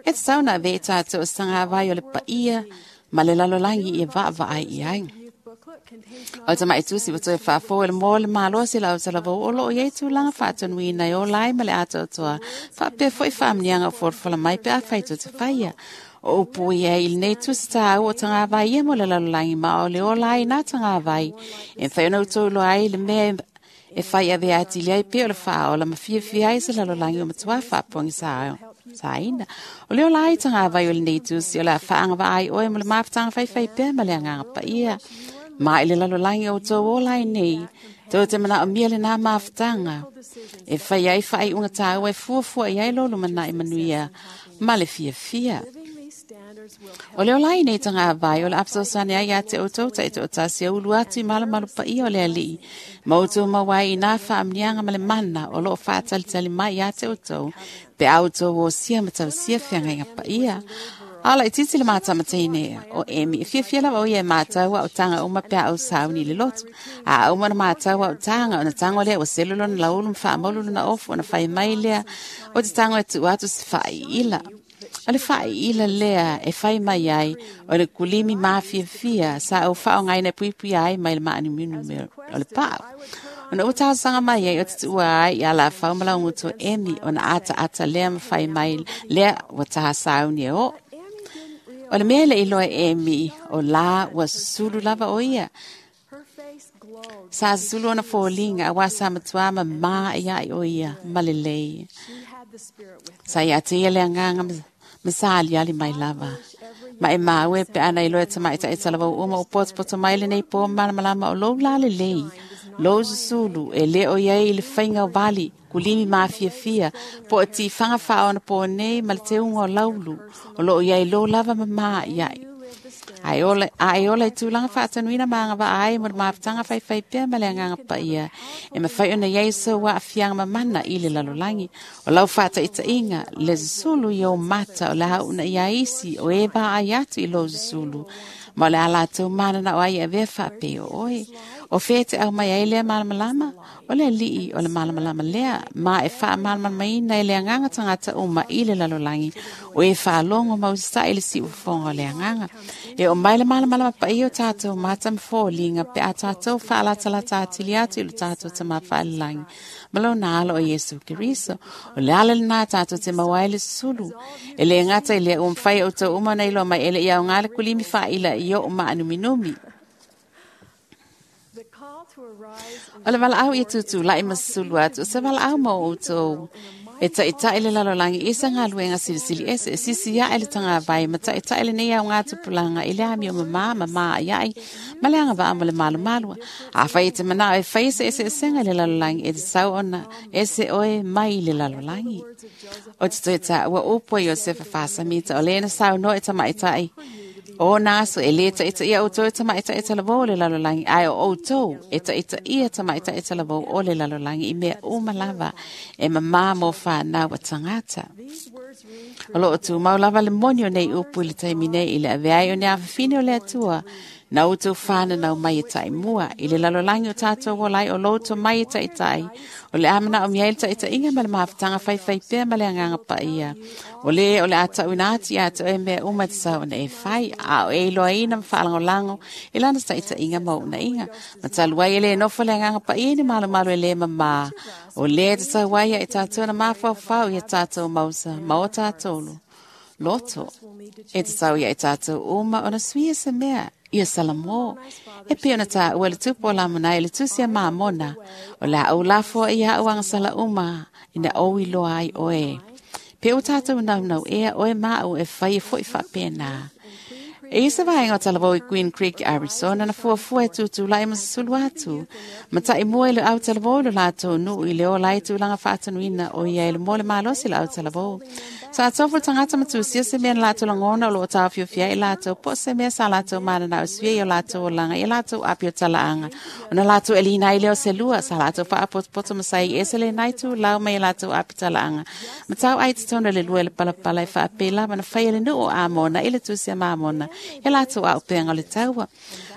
E tatau ona avea i tatou o se tagavai o le paia ma le lalolagi ia vaavaai i ai. youth booklet contains O le tamaʻi tusi ua toe faafou e le mo le malosi lau talavou o loo iai tulaga faatonuina e ola ai ma le atoatoa. Faapea foʻi faamaniaga o folafola mai pe afai tou te faia. O upu ia i lenei tusi tāua o tagavai ia mo le lalolagi ma o le ola ai nā tagavai. E mafai ona outou iloa ai le mea e fai avea atili ai pea o le faaola ma fiafia ai se lalolagi o matuā faapogi saina. O le ola ai tagavai o lenei tusi o le a faagavaa ai oe mo le mafutaga faifai pea ma le agaga paia. Ma i le lalolagi o outou ola ai nei, tou te manaomia lenā mafutaga. E fai ai faaiuga tāua e fuafua i ai lo lumanai manuia ma le fiafia. living these standards will help O le ola ai nei tagavai o le afesosane ai ia te outou taitoatasi e ulu atu i malumalu paia o le alii. Ma outou maua ai i nā faamniaga ma le mana o loo faatalitali mai ia te outou. Pe a outou osia ma tausia feagaiga paia. A la itiiti le mātamatine o Emi. E fiafia lava o ia e mātau a o tanga uma pe a au sauni i le loto. A uma na mātau a o tanga, ona tango lea ua selu lona laulu ma faamaulu lona ofu, ona fai mai lea. O te tango e tuu atu se faaiila. O le faaiila lea e fai mai ai o le kulimi mafiafia sa au faaaogaina e puipuia ai mai le maaniuniu o le paau. Ona ua talosaga mai ai o te tuua ai ia lafau ma laugutu o Emi ona ataata lea ma fai mai lea ua tasauni e oo. O le mea le iloa e Emi o lā ua susulu lava o ia. her face glowed. Sa susulu ona foliga auā sa matuā mamā ia ai o ia ma lelei. She had the spirit with her. Sa ia te ia le agaga ma sa aliali mai lava. Ma e maua e pe ana iloa e tamaitaʻi talavou uma o potopoto mai lenei pō malamalama o lou la lelei. Lou susulu e lē o iai i le faiga o vali, kulimi mafiafia, po o tifaga faaona pō nei ma le teuga o laulu, o loo iai lou lava mamā i ai. Ae ola, a e ola i tulaga faatanuina ma agavaa ai mo le mafutaga faifai pea ma le agaga paia. E mafai ona iai sou aafiaga mamana i le lalolagi. O lau faataʻitaʻiga le susulu i ou mata o le a uuna ia isi o e vaai atu i lou susulu. Ma o le a latou mananao ai e avea faapea o oe. O fea te au mai ai lea malamalama, o le alii o le malamalama lea, ma e faamalamalamaina e le agaga tagata uma i le lalolagi, o e faalogo ma usitai le siufofoga o le agaga. E o mai le malamalama paia o tātou mata ma foliga pe a tātou faalatalata atili atu i lo tātou Tamā Faalelagi ma lona alo o Iesu Keriso. O le ala lenā tātou te maua ai le sulu. E le gata i lea ua mafai e outou uma ona iloa mai e le i aoga le kulimi faaila i oo maanuminumi. O le valaau ia tutulai ma susulu atu, o se valaau mo outou. E taʻitaʻi le lalolagi i se galuega silisili ese, e sisi aʻe le tagavai ma taʻitaʻi lenei aoga tupulaga i le amio mamā ma maʻaiaʻi ma le agavaa mo le malumalua. Afai e te manao e fai se eseesega i le lalolagi, e tatau ona ese oe mai i le lalolagi. O te toe taua upu a Iosefa Fasamita o lē na saunoa e tamaʻitaʻi o nā aso e lē taʻitaʻia outou e tamaʻitaʻi talavou o le lalolagi, ae o outou e taʻitaʻia tamaʻitaʻi talavou o le lalolagi i mea uma lava e mamā mo whānau a tagata. O loo tumau lava le moni o nei upu i le taimi nei i le avea ai o ni afafine o le Atua na outou whānanau mai e taimua i le lalolagi o tātou ola ai o lo outou mai e taʻitaʻi o le amanaomia ai le taʻitaʻiga ma le mafutaga faifai pea ma le agaga paia. O le o le a taʻuina atu ia te oe mea uma e tatau ona e fai, a o e iloaina ma faalagolago i lana taʻitaʻiga ma ounaʻiga. Ma talu ai e lē nofo le agaga paia i ni malumalu e lē mamā. O lē e tatau ai ia i tātou na mafaufau ia tātou mausa ma o tātou loto. E tatau ia i tātou uma ona suia se mea ia Salamo. E pei ona taua le tupu o Lamonai i le tusi a Mamona. O le a ou lafo ia au agasala uma ina ou iloa ai oe. Pe o tātou naunau ea oe ma au e fai e foʻi faapena. E ia se vaega o talavou i Queen Creek, Arizona, na fuafua e tutulai ma susulu atu. Ma taʻimua i le au talavou i lo latou nuu i le ola ai tulaga faatanuina o ia i le mo le malosi le au talavou. Sa tofu le tagata ma tusia se mea na latou lagona o loo taofiofia ai latou, po o se mea sa latou mananao e suia i o latou olaga i a latou api o talaaga. Ona latou eliina ai lea o se lua, sa latou faapotopoto ma sai ese lenai tulau mai a latou api talaaga. Ma tau ai totonu le lua i le palapala e faapei lava na faia le nuu o Amona i le tusi a Mamona ia latou aupeaga o le taua.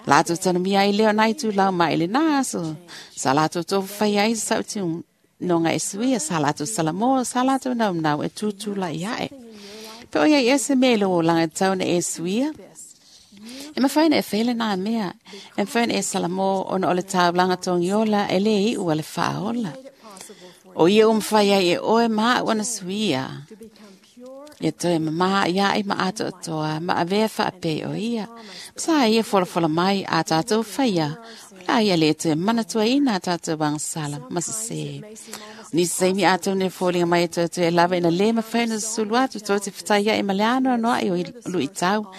Latou tanumia ai lea o nai tulau mai i lenā aso. Sa latou tofu fai ai se sautinoga e suia, sa latou salamo, sa latou naunau e tutulai aʻe. Pe o iai ea se mea i lou olaga e tatau ona e suia? E mafai ona e faia lenā mea. E mafai ona e salamo ona o le taulaga togiola e lē iʻu a le faaola. O ia ua mafai ai e oe ma aʻu ona suia. Ia toe mamā ia ai ma atoatoa ma avea faapei o ia. Sa ia folafola mai a tātou whaia. O la ia le toe manatuaina a tātou agasala ma sesē. O nisi taimi ātou ne foliga mai e toe toe e lava ina lē mafai ona susulu atu tou te fetai ai ma le anoanoaʻi o luʻitau.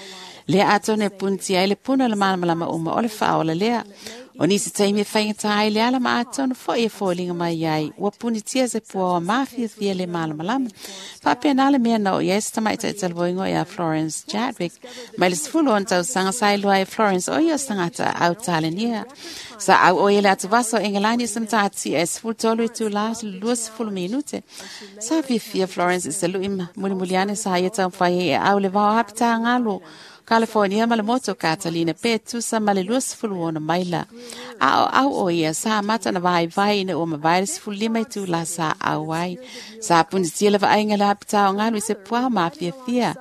Lea ātou ne punitia ai le puna o le malamalama uma o le faaola lea. O nisi taimi e faigata ai le ala ma atonu foʻi e foliga mai ai ua punitia se puaoa mafiafia le malamalama. Faapena le mea na oo i ai se tamaʻitaʻi talavoigo ia Florence Chadwick mai le 16 tausaga sa iloa ai Florence o ia o se tagata Autalenia. Sa au o ia le atuvasa o Engelani i se matatia e 13 itulā 20 minute. Sa fiafia Florence i se luʻi mulimuli ane sa ia taumafai ai e au le vao apitagalu California ma le motu o Catalina pe tusa ma le 26 maila. A o au o ia sa amata ona vaivai ina ua mavae le 15 itulā sa au ai. Sa punitia le vaaiga le apitā o galu i se puao mafiafia.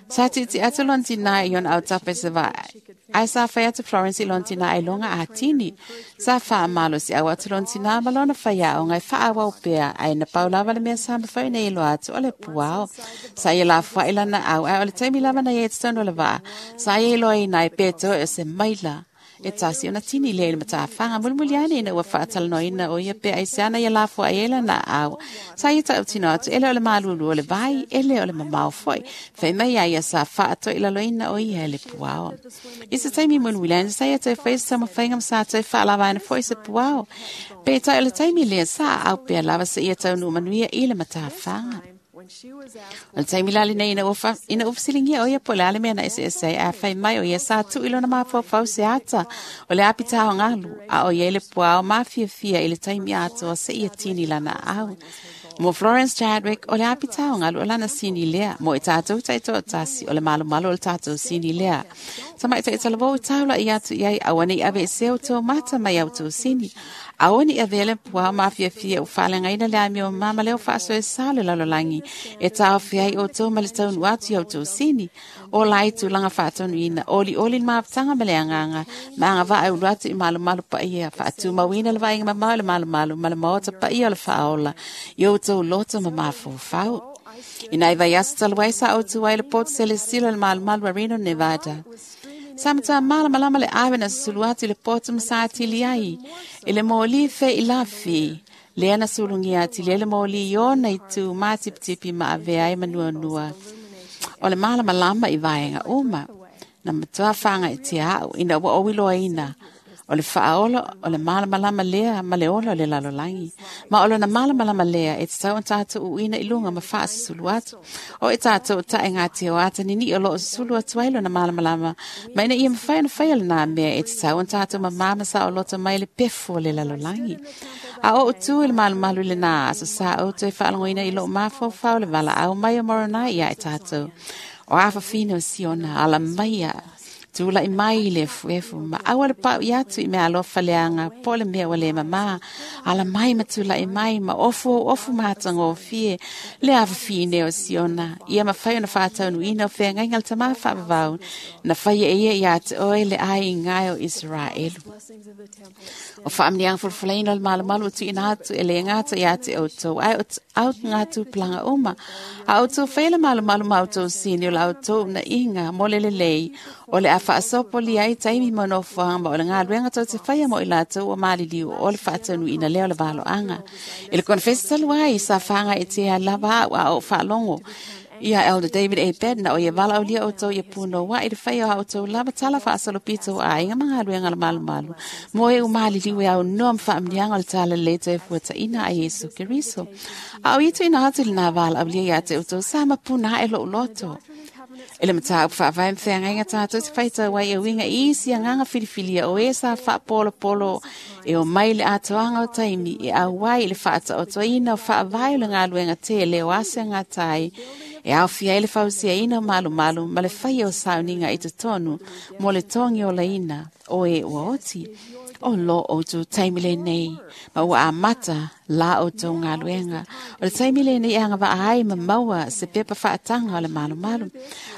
Sa tiiti atu lona tinā i ona autafa i se vaai. Ae sa fai atu Florence i lona tinā ailoga atini. Sa faamalosi au atu lona tinā ma lona faiaoga e faaauau pea, ae na pau lava le mea sa mafai ona iloa atu o le puao. Sa ia lafoaʻi lana au, ae o le taimi lava na ia i totonu o le vaa. Sa ia iloaina ai pe toe o se maila e tasi ona tini lea i le matafaga. Mulimuli ane ina ua faatalanoaina o ia pe aisea na ia lafoaʻi ai lana au. Sa ia tautino atu e le o le malulu o le vai, e le o le mamao foʻi. Fai mai ai ia sa faatoilaloina o ia e le puao. I se taimi mulimuli ane sa ia toe fai se taumafaiga ma sa toe faalavaina foʻi se puao. Peitai o le taimi lea sa aau pea lava seia taunuu manuia i le matafaga. O le taimi la lenei ina ua fesiligia o ia po o le a le mea na eseese ai, ae fai mai o ia sa tuu i lona mafaufau se ata o le apitā o galu, a o ia i le puao mafiafia i le taimi atoa seia tini lana aau. Mo Florence Chadwick, o le apitao ngalu o lana sini lea. Mo i tātou taitoatasi o le malumalu o le tātou sini lea. Tamaitai talavou i taula i atu i ai aua nei ave se o tō mata mai au tō sini. Aua ni avea le puao mafiafia o faaleagaina le amio mama leo faasoesa o le lalolagi e taofi ai outou ma le taunuu atu i outou sini. O lai tulaga faatonuina, olioli le mafutaga ma le agaga, ma agavaa e ulu atu i malumalu paia, faatumauina le vaaiga mamao i le malumalu ma le maota paia o le faaola i outou loto ma mafaufau. Ina i vaiaso talu ai sa outou ai le poto selesila le malumalu a Reno, Nevada. Sa matua malamalama le ave na susulu atu i le poto ma sa atili ai, i le moli feilafi, lea na sulugia atili ai le moli i ona itu matipitipi ma avea ai manuanua. O le malamalama i vaega uma, na matua whāngaitia au ina ua oiloaina. O le faaola o le malamalama lea ma le ola o le lalolagi. Ma o lona malamalama lea e tatau ona tātou uina i luga ma faasusulu atu. O e tātou tae ngā te o ata nini o loo susulu atu ai lona malamalama. Ma ina ia mawhai ona whai lana mea e tatau ona tātou mamama sa o loto mai le pefu o le lalolagi. A o tu i le malumalu i le nā aso sa o toe whaalangoina i loo mafaufau le wala au mai o moronai ia e tātou. O awhawhina o Siona, ala maia. Tūlai mai le efuefu, ma aua le pau i atu i mea alofa leaga, po le mea ua le mamā. Ala mai ma tūlai mai, ma ofu o ofu matagofie, le afafine o Siona. Ia mafai ona faataunuuina o feagaiga le tamā faavavau, na faia e ia iā te oe le aiga o Iseraelu. O faamanuiaga fulafulaina o le malumalu o tuuina atu e le gata iā te outou, ae o au ngā tupulaga uma. A outou faia le malumalu ma outou sini o la outou unaiga mo le lelei, o le a faasopolia ai taimi ma nofoaga ma o le galuega tou te faia mo i latou ua maliliu o le faataunuuina lea o le valoaga. I le konefesi talu ai, sa fāgaitia lava au a o faalogo ia Elder David A. Bednar o ia valaaulia outou ia punoua i le faia o a outou lava tala faasolopito o aiga ma galuega le malumalu. Mo e umaliliu e au noa ma faamanuiaga o le tala lelei toe fuataina a Iesu Keriso. A o ia tuuina atu i lenā valaaulia iā te outou sa mapuna ae lou loto. I le mataupu faavae ma feagaiga tātou te faitau ai e uiga i isi agaga filifilia o e sa faapolopolo e o mai le atoaga o taimi e auai i le faataotoina o faavae o le galuega tele o ase agatai e aofia ai le fausiaina o malumalu ma le faia o sauniga i totonu mo le togi olaina o e ua oti. O lo outou taimi lenei, ma ua amata la outou galuega. O le taimi lenei e agavaa ai ma maua se pepa faataga o le malumalu.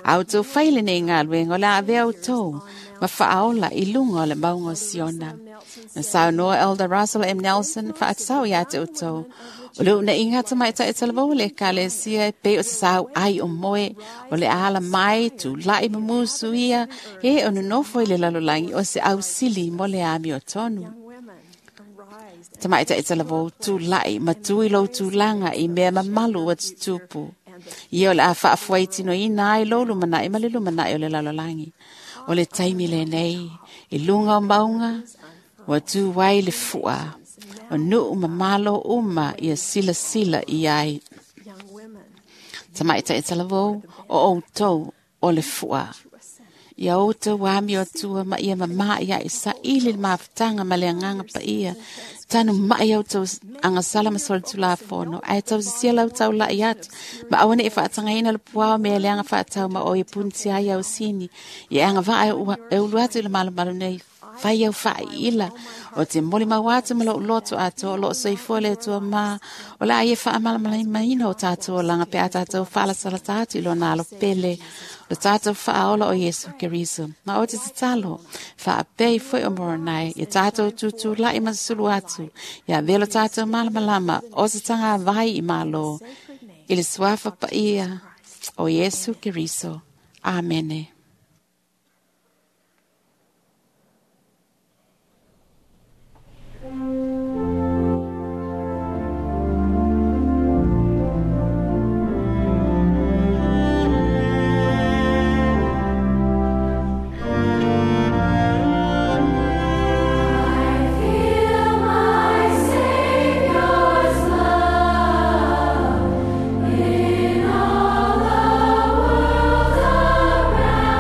A outou fai lenei galuega o le a avea outou ma faaola i luga o le mauga o Siona. Na saunoa Elder Russell M. Nelson faatatau iā te outou. O le unaiga tamaitai talavou le ekalesia e pei o se sau ai o moe, o le ala mai, tūlai ma musu ia, e o nonofo i le lalolagi o se ausili mo le amiotonu. Tamaitai talavou tūlai, ma tui lou tulaga i mea mamalu ua tutupu. Ia o le a faafuaitinoina ai lou lumanai ma le lumanai o le lalolagi. O le taimi lenei, i luga o mauga, ua tu ai le fua. O nuu ma malo uma ia silasila i ai. Tamaitai talavou, o outou o le fua. Ia outou amio atua ma ia mamā ia i saili le mafutaga ma le agaga paia. Tanu mai outou agasala ma solitulafono, ae tausisia lau taulai atu, ma aua nei faatagaina le puao mea leaga faatau ma o ia punitia ai au sini. Ia agavaa e ulu atu i le malumalu nei, fai au faaiila, o te molimau atu ma lou loto atoa o loo soifua le Atua mā, o le a ia faamalamalamaina o tātou olaga pe a tātou faalasalata atu i lona alo pele, o le tātou faaola o Iesu Keriso. Ma o te tatalo, faapei foi o Moronai, ia tātou tutulai ma susulu atu, ia avea lo tātou malamalama o se tagavai i Malo, i le suafa paia o Iesu Keriso. Amene. I feel my Savior's love in all the world around.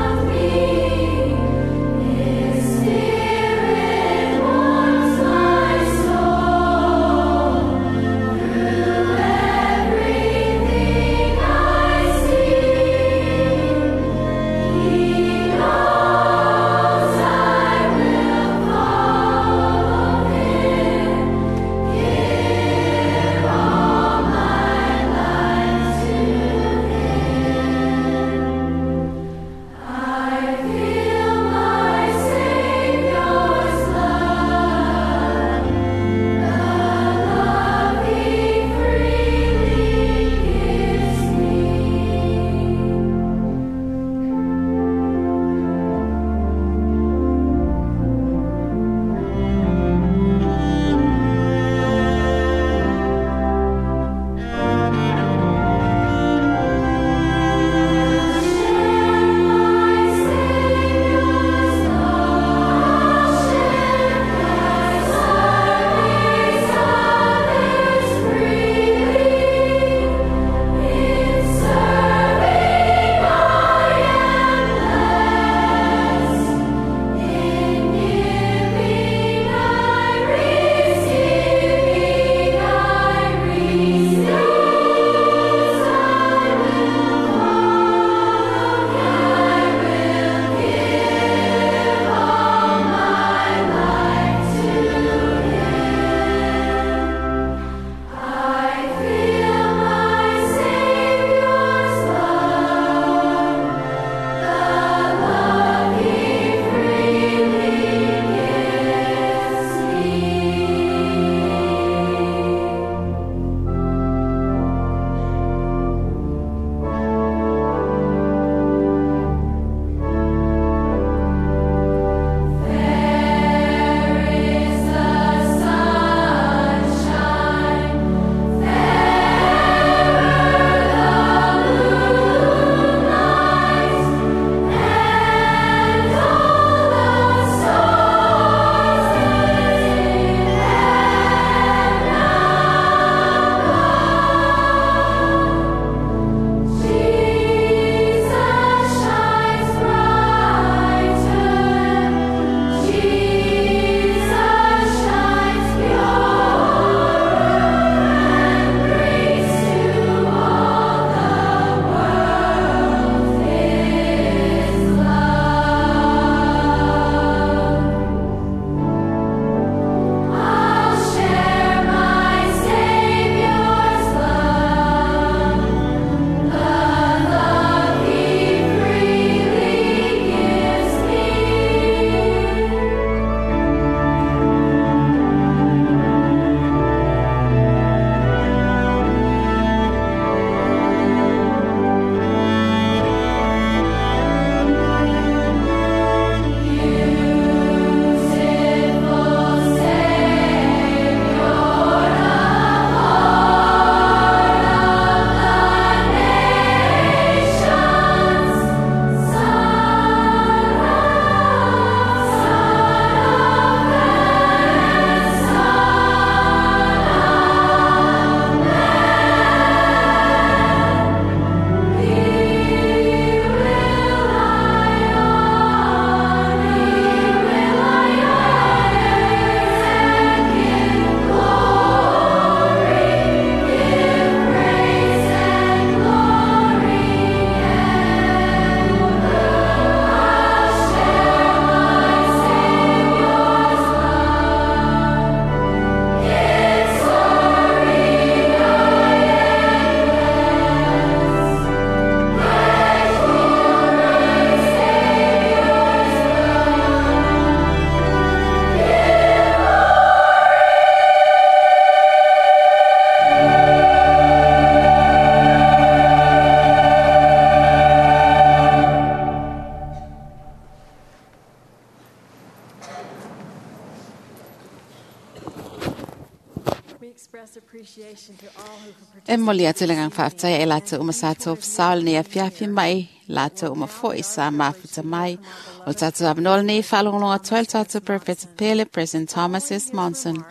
E moli atu le ngang whaaftai e lātou uma sa tō whasaol nei a fiafi mai, lātou uma foi sa mafuta mai. O tātou avanoa nei whaalongalonga toa le tātou Professor Pele, President Thomas S. Monson.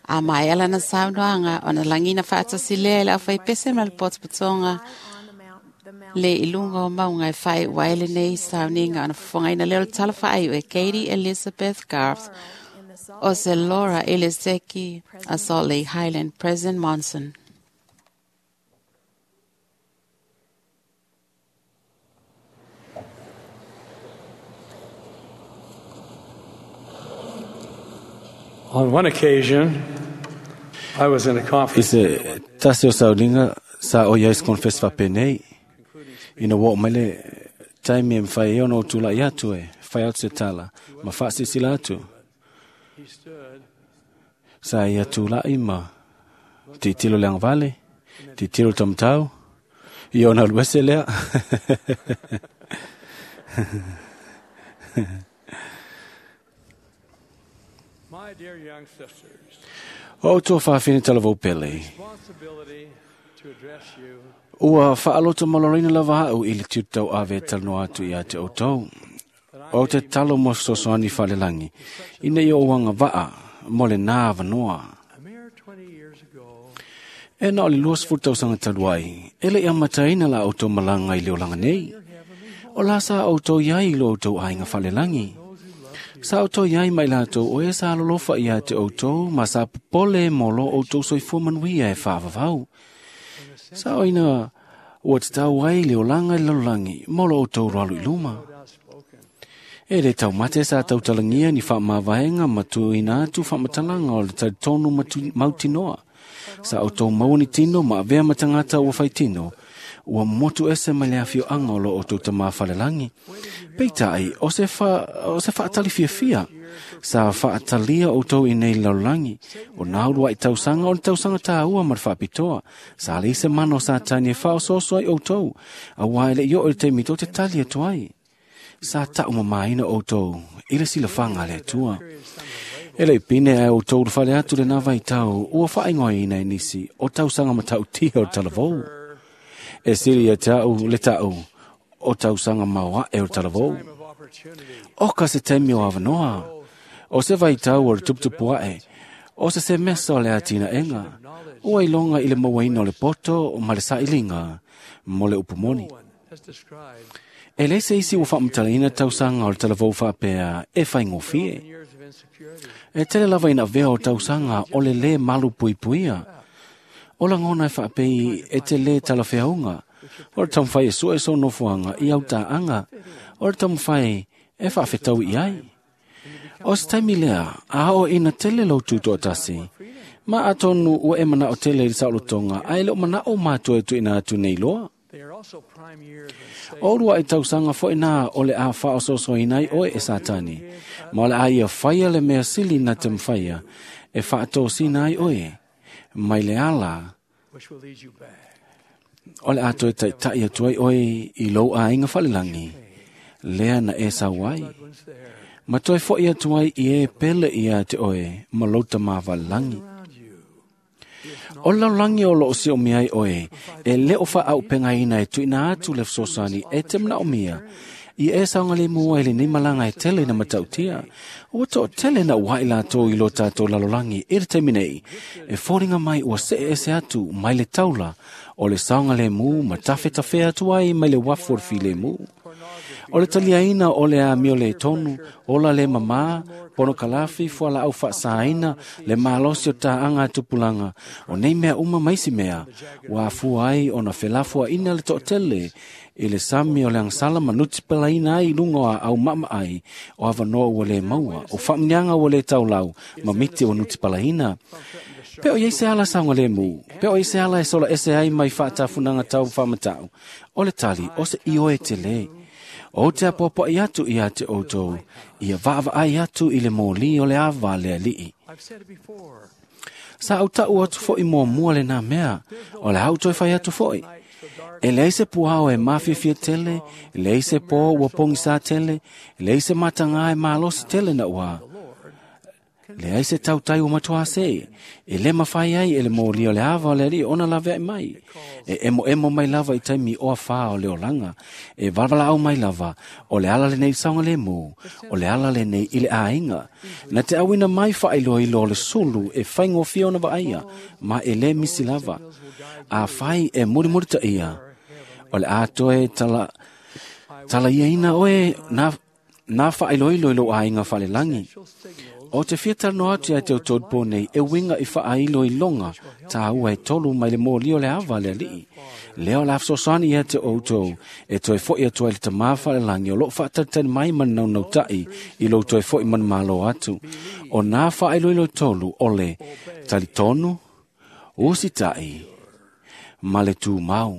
A mai ala na saunoanga o na langina whaatasi lea le awhai pese ma le potopotonga le ilunga o maunga e whai waele nei sauninga ona whangaina leo tala whaai e Katie Elizabeth Garth o se Laura Elizeki a Salt Lake Highland, President Monson. On one occasion, I was in a I conference. se tasi o saulinga sa o iais confess whapenei. Ina wao mai le taimi e mwhai e ono o tula i atu e, whai atu se tala, ma whaasisila atu. He stood Sa ia tula i ma titilo le angvale, titilo tamtau, i ona luese lea. My dear young sisters, O tō whawhine talavau pele. responsibility to address you Ua whaaloto malorina lava au i le tūtau ave talanoa atu i a te outou. O te talo mo sosoani whalelangi. Ina i o wanga waa, mo le nā vanoa. a mere 20 years ago. E na o le luas futau sanga taluai, e le ia mataina la outou malanga i le olanga nei. O la sa outou iai i lo outou ainga whalelangi. Sa outou iai mai lātou o e sa lolofa ia te outou, ma sa popole mo lo outou soifua manuia e whaavavau. Sa o ina ua te tau ai le olanga i lalolagi mo lo outou roalu i luma. E le taumate sa tautalangia ni whaamavaenga ma tuina atu whamatalanga o le talitonu mautinoa. Sa outou maua ni tino ma avea matangata ua whaitino. Ua motu ese mai le awhioanga o lo outou tamā whalelangi. Peitai, o se, o se whaatali fiafia. Sa whaatalia outou i nei lalolagi. O nā urua i tausanga o le tausanga tāua ma le whaapitoa. Sa le se mano sa tani e whaososo ai outou. A wā ele i o le te mito te tali atu ai. Sa tau mamaina outou, i le silafanga le atua. E le pine ai outou le whale atu le nā vai tau, ua whaingoa ina e nisi, o tausanga matau tia o talavou. E siri e tau le tau, o tausanga maua e o talavou. Time of opportunity. O ka se taimi o avanoa, o se vai tau o le tuputupu ae, o se se mesa o le atina enga, ua ilonga i le mauaina o le poto ma le sailinga, mo le upumoni. No one has described E le se isi ua whaamutalaina tausanga o le talavou whaapea e whaingofie. years of insecurity. E tele lava ina vea o tausanga o le le malu puipuia. O la ngona e whaapei e te le talawheaunga. O le tamwhai e sua e so nofuanga i au tāanga. O le tamwhai e whaafetau i ai. O se taimi lea, a o ina tele lau tutoa tasi. Ma atonu ua e mana o tele i saolotonga, a ele o mana o mātua e tuina atu nei loa. They are also prime years when Satan O rua i tausanga fo ina o le a whaososo inai oe e satani. Ma o le a ia whaia le mea sili na te mwhaia, e whaatōsina ai oe. Mai le ala, which will lead you back. o le a toe taitai atu ai oe i lou a inga whalelangi. Lea na e sau ai. Loved ones there Ma toe fo i atu ai i e pele ia te oe, ma louta mā walelangi. around you. O laulangi o lo o sio miai oe, e le o wha au pengaina e tuina atu le sosani e te mna o mia. I e saunga le mua i le nei malanga e tele na matautia. O to tele na wai lātou i lo tātou lalolangi i le taimi nei. E fōringa mai ua se e se atu mai le taula o le saunga le mu ma tawhe tawhe atu ai mai le wafu o le file mu. O le taliaina o le a mio le tonu, ola le mama, pono kalafi fua la au whaasaina, le malosi o tāanga tupulanga, o nei mea uma maisi mea, wa afua ai o na felafua ina le to'atele, i le sami o le angsala manuti pelaina ai i lunga o a au mama ai, o avanoa ua le maua, o whaamnianga ua le taulau, ma miti o nuti palaina. Pe o iei se ala saunga le mu, pe o iei se ala e sola ese ai mai whaatafunanga tau whamatau, o le tali, o se ioe te le. O te apoapoa i atu i a te outou, ia vaava ai atu i le mōli o le awa le alii. I've said it before. Sa au tau atu fo i mua mua le nā mea, o le au toe whai atu foi. E leai se puao e mawhiwhia tele, e leai se pō ua pongisa tele, e leai se matanga e malosi tele na ua. Le ai se tautai o matua se, e le mawhai ai e le mōli o le ava o le ali ona lawe ai mai. E emo emo mai lava i taimi o awha o le olanga, e valvala au mai lava, o le ala le nei saunga le mō, o le ala le nei i le āinga. Na te awina mai whailo i lo le sulu e whaingofia ona vaia, ma e le misi lava. A whai e muri muri ta ia, o le atoe tala, tala ia ina oe na, na whailo i lo āinga whalelangi. O te whiata no atu ai te o nei e winga i whaailo i longa tā ua e tolu mai le mōli o le awa le alii. Leo la afsosani ia te outou e toe foi atu ai le tamā whalelangi o lo whaatatani mai man nau nau tai i lo toe foi man malo atu. O nā whaailo i lo tolu o le talitonu, usitai, ma le tū mau.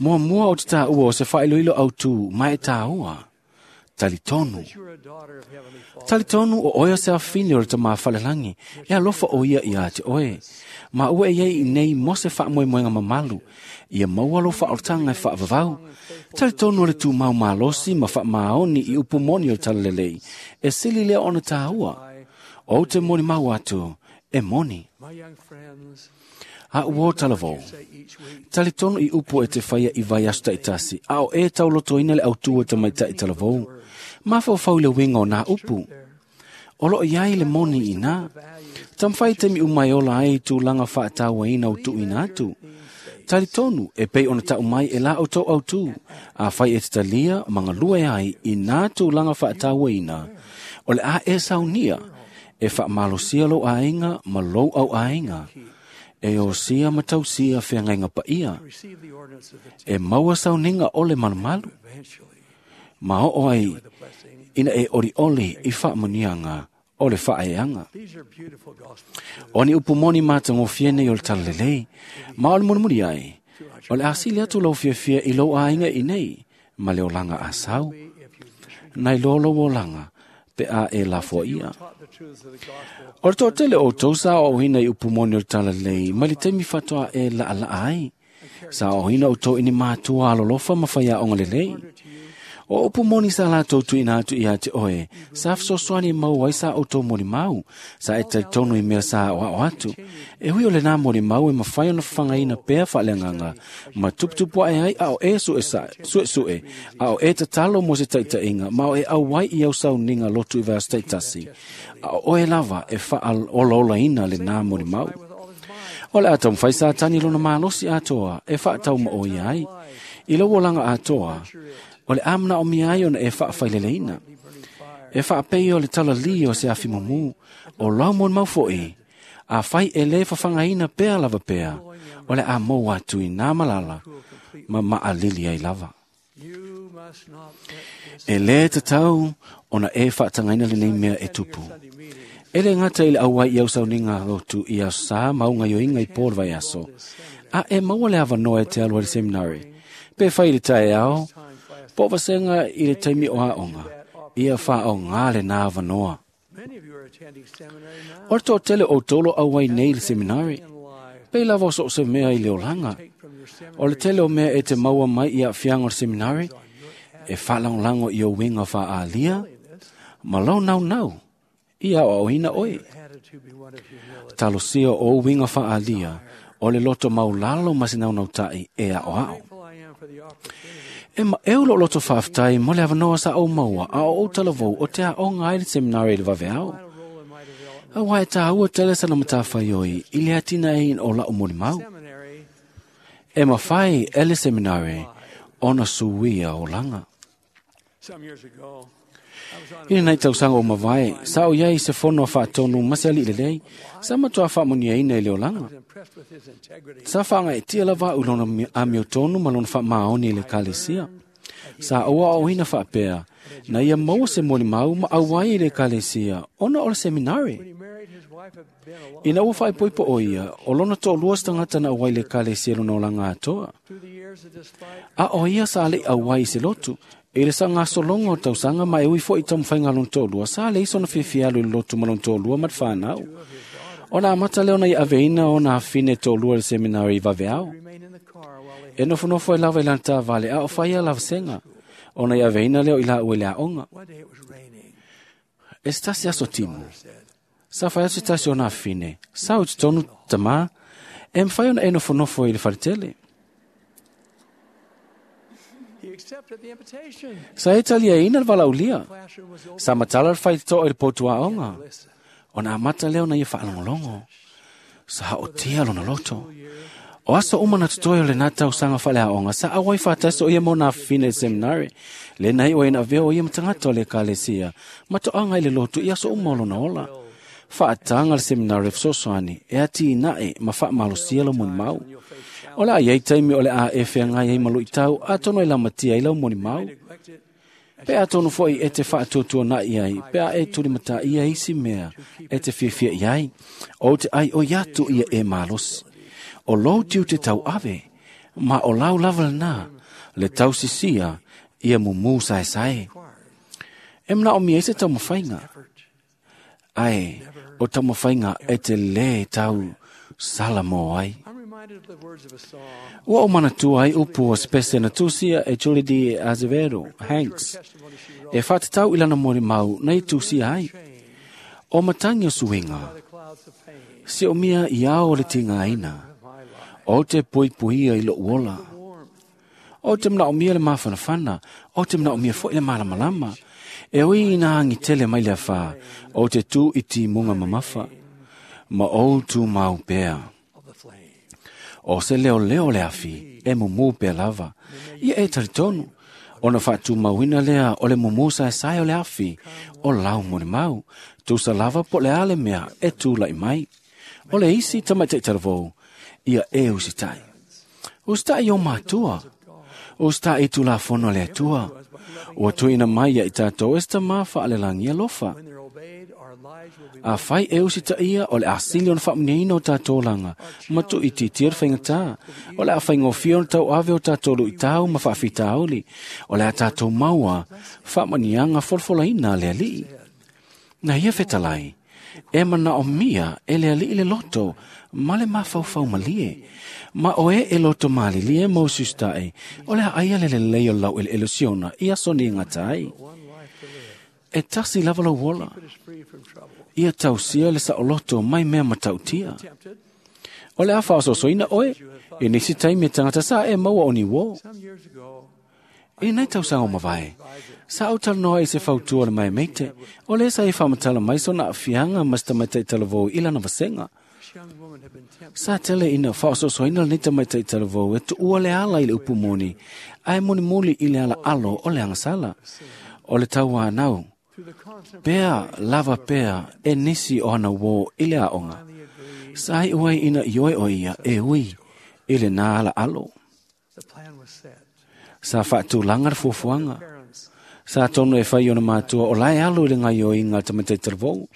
Mua mua o te tā ua o se whaailo au tū mai e tā ua. Talitonu. Talitonu o oia se awhini o le tama whalelangi, e alofa o ia ia te oe. Ma ua e iei nei mose wha moe moenga mamalu, ia maua lo wha ortanga e wha vavau. Talitonu o le tū mau malosi ma wha maoni i upu moni o talalelei, e sili lea ona tāua. O te moni mau atu, e moni. A ua talavou. Talitonu i upu e te whaia i vai aso taitasi, a o e taulotoina le autua te mai tai talavou. Mawhau le winga o nā upu. O lo iai le moni i nā. Tamwhai te mi umai ola ai tūlanga whaataua ina o tuina atu. Talitonu e pei ona tau mai e la o tau autu. A whai e te talia mangalua e ai i nā tūlanga whaataua ina. O le a e saunia e whaamalosia lo ainga ma lou au ainga. E o sia matau sia whiangainga pa ia. E maua sauninga ole malumalu. Ma o ai ina e ori oli i whaamunianga o le whaeanga. O ni upu moni māta ngō nei o le talalelei, ma o le murimuri ai. O le asili atu lau fiafia i lou āinga i nei, ma le olanga a sau. Nai lolo o langa, pe a e la fo ia. O le tōtele o tau sa o hina i upu moni o le talalelei, ma le temi whatoa e la ala ai. Sa o hina o tau ini mātua alolofa ma whaia onga lelei. O upu moni sa la tau tuina atu ia te oe, sa fsoswani mau ai sa o tau moni mau, sa e talitonu i mea sa o ao atu. E hui o le nā moni mau e mawhai ona whangaina pea whaleanganga, ma tuputupu ai ai ao e sue sue, ao e tatalo mo se taitainga, ma o e au wai i au sau ninga lotu i vaas taitasi. Ao oe lava e wha ina le nā moni mau. O le atau mwhai sa tani lona malosi atoa, e whaatau ma o ia ai. I lau olanga atoa, o le amna o mia ai ona e whaafaileleina. E whaapei o le talali o se awhi mumu, o lau mon mau foi, a whai e le whawhangaina pea lava pea, o le a mou atu i nā malala, ma maalili ai lava. E le tatau ona e whaatangaina le nei mea e tupu. E le ngata i le auai i au sauninga lotu i au sa maunga yoinga i pōr vai aso. A e maua le awanoa e te alua le seminari. Pe whai le tae ao, po vasenga i le taimi o aonga, ia wha o ngā le nā wanoa. O le tōtele o tolo au ai nei le seminari, pe lava o so se mea i le olanga. O le tele o mea e te maua mai i a whianga o le seminari, e whalanglango i o winga wha alia, ma lau nau nau, i au au hina oe. Talosia o winga wha alia, o le loto maulalo ma se nau nau tai e ao ao. E ma eu lo loto whaaftai mo le awanoa sa o maua a o talavou o te a o ngai le seminari le vaveao. A wai tā ua tele sana matawhai oi i le atina e o la o moni mau. E mawhai e le seminari ona suia o langa. I le nei tausanga o mawai, sa o iai se fono a whaatonu mase ali lelei, sa matua whaamonia ina i le olanga. Sa whaanga e tia lava u lona amio tonu ma lona whaamaoni i le kalesia. Sa oa o hina whaapea, na ia maua se moni mau ma auai i le kalesia, ona o le seminari. Ina ua whaepoipo o ia, o lona tō lua stangata na auai le kalesia lona olanga atoa. A o ia sa le auai se lotu, e le sa ngā solonga o tausanga ma e ui fo i taumwhainga lona tō lua, sa le iso na whiawhialu i le lotu ma lona tō lua ma te whanau. Ona amata leo na i aveina o nā whine tō lua le seminari i vaveao. E nofonofo e lava i lana vale a o whaia lava senga. Ona i aveina leo i la ue le aonga. E se tasi aso timu. Sa fai atu se tasi o nā fine. Sa o te tonu tamā, e mwhai ona e nofonofo i le wharetele. Sa e talia ina le valaulia. Sa matala le whaitoa i le potua onga. O nā mata leo na ia whaalongolongo. Sa hao tia lona loto. O aso uma na tutoe o le nā tausaga faaleaoga sa auai faatasi o ia mo nā fafine i seminari. Le nei o ina avea o ia matagata o le ekalesia ma toaga i le lotu i aso uma o lona ola. Faataga le seminari e fesoasoani e atinae ma faamalosia lau molimau. O le a iai taimi o le a e feagai ai ma luitau atonu e lamatia ai lau molimau. Pe atonu foi e te faatuatuana'i ai, pe a e tulimataia isi mea e te fiafia i ai, o te ai o iatu ia e malosi. O lou tiu te tau ave, ma o lau lava lena, le tausisia ia mumu saesae. E manaomia ai se taumafaiga. Ae, o taumafaiga e te lē tau sala mo ai. Ua o manatua ai upu o spese na tusia e Julie D. Azevedo Hanks. E whātatau i lana molimau na i tusia ai. O matangi o suinga, si o mia i ao le tinga aina. O te puipuia i lou ola. O te manaomia le mafanafana, o te manaomia foi le malamalama. E ui ina angi tele mai le awha, o te tū i timunga mamafa, ma o tū mau pea. O se leo leo le afi, e mumu pea lava. Ia e taritonu, ona whaatumauina lea o le mumu saesae o le afi, o lau molimau, tusa lava po le ale mea e tūlai mai. O le isi tamaitai talavou, ia e usitai. Usitai o mātua, usitai i tulafono le Atua. Ua tuuina mai ia i tātou e se tamā faalelangi alofa. A fai e usitaia o le asili ona faamuniaina o tātou olaga, ma tuuitiitia le faigata. O le a faigofie ona tauave o tātou luitau ma faafitauli. O le a tātou maua faamaniaga folafolaina a le Alii. Na ia fetalai, e manaomia e le Alii le loto ma le mafaufau malie. Ma oe e loto malilie ma usiusitaʻi, o le a aia le lelei o lau eleele o Siona i aso ni gata ai. E tasi lava lau ola. Ia tausia le saoloto mai mea matautia. O le a faaososoina oe, i nisi taimi e tagata sa e maua o ni uō. I nei tausaga o mavae, sa ou talanoa i se fautua o le maemeite, o le sa e faamatala mai sona aafiaga ma se tamaitai talavou i lana vasega. Sa tele ina faaososoina lenei tamaitai talavou e tuua le ala i le upu moni, ae molimoli i le ala alo o le agasala. O le tauanau, pea lava pea e nisi o ana uō i le aoga. Sa iu ai ina ioe o ia e ui i lena ala alo. Sa faatulaga le fuafuaga. Sa tonu e fai ona matua o lae alo i le gaioiga a tamaitai talavou.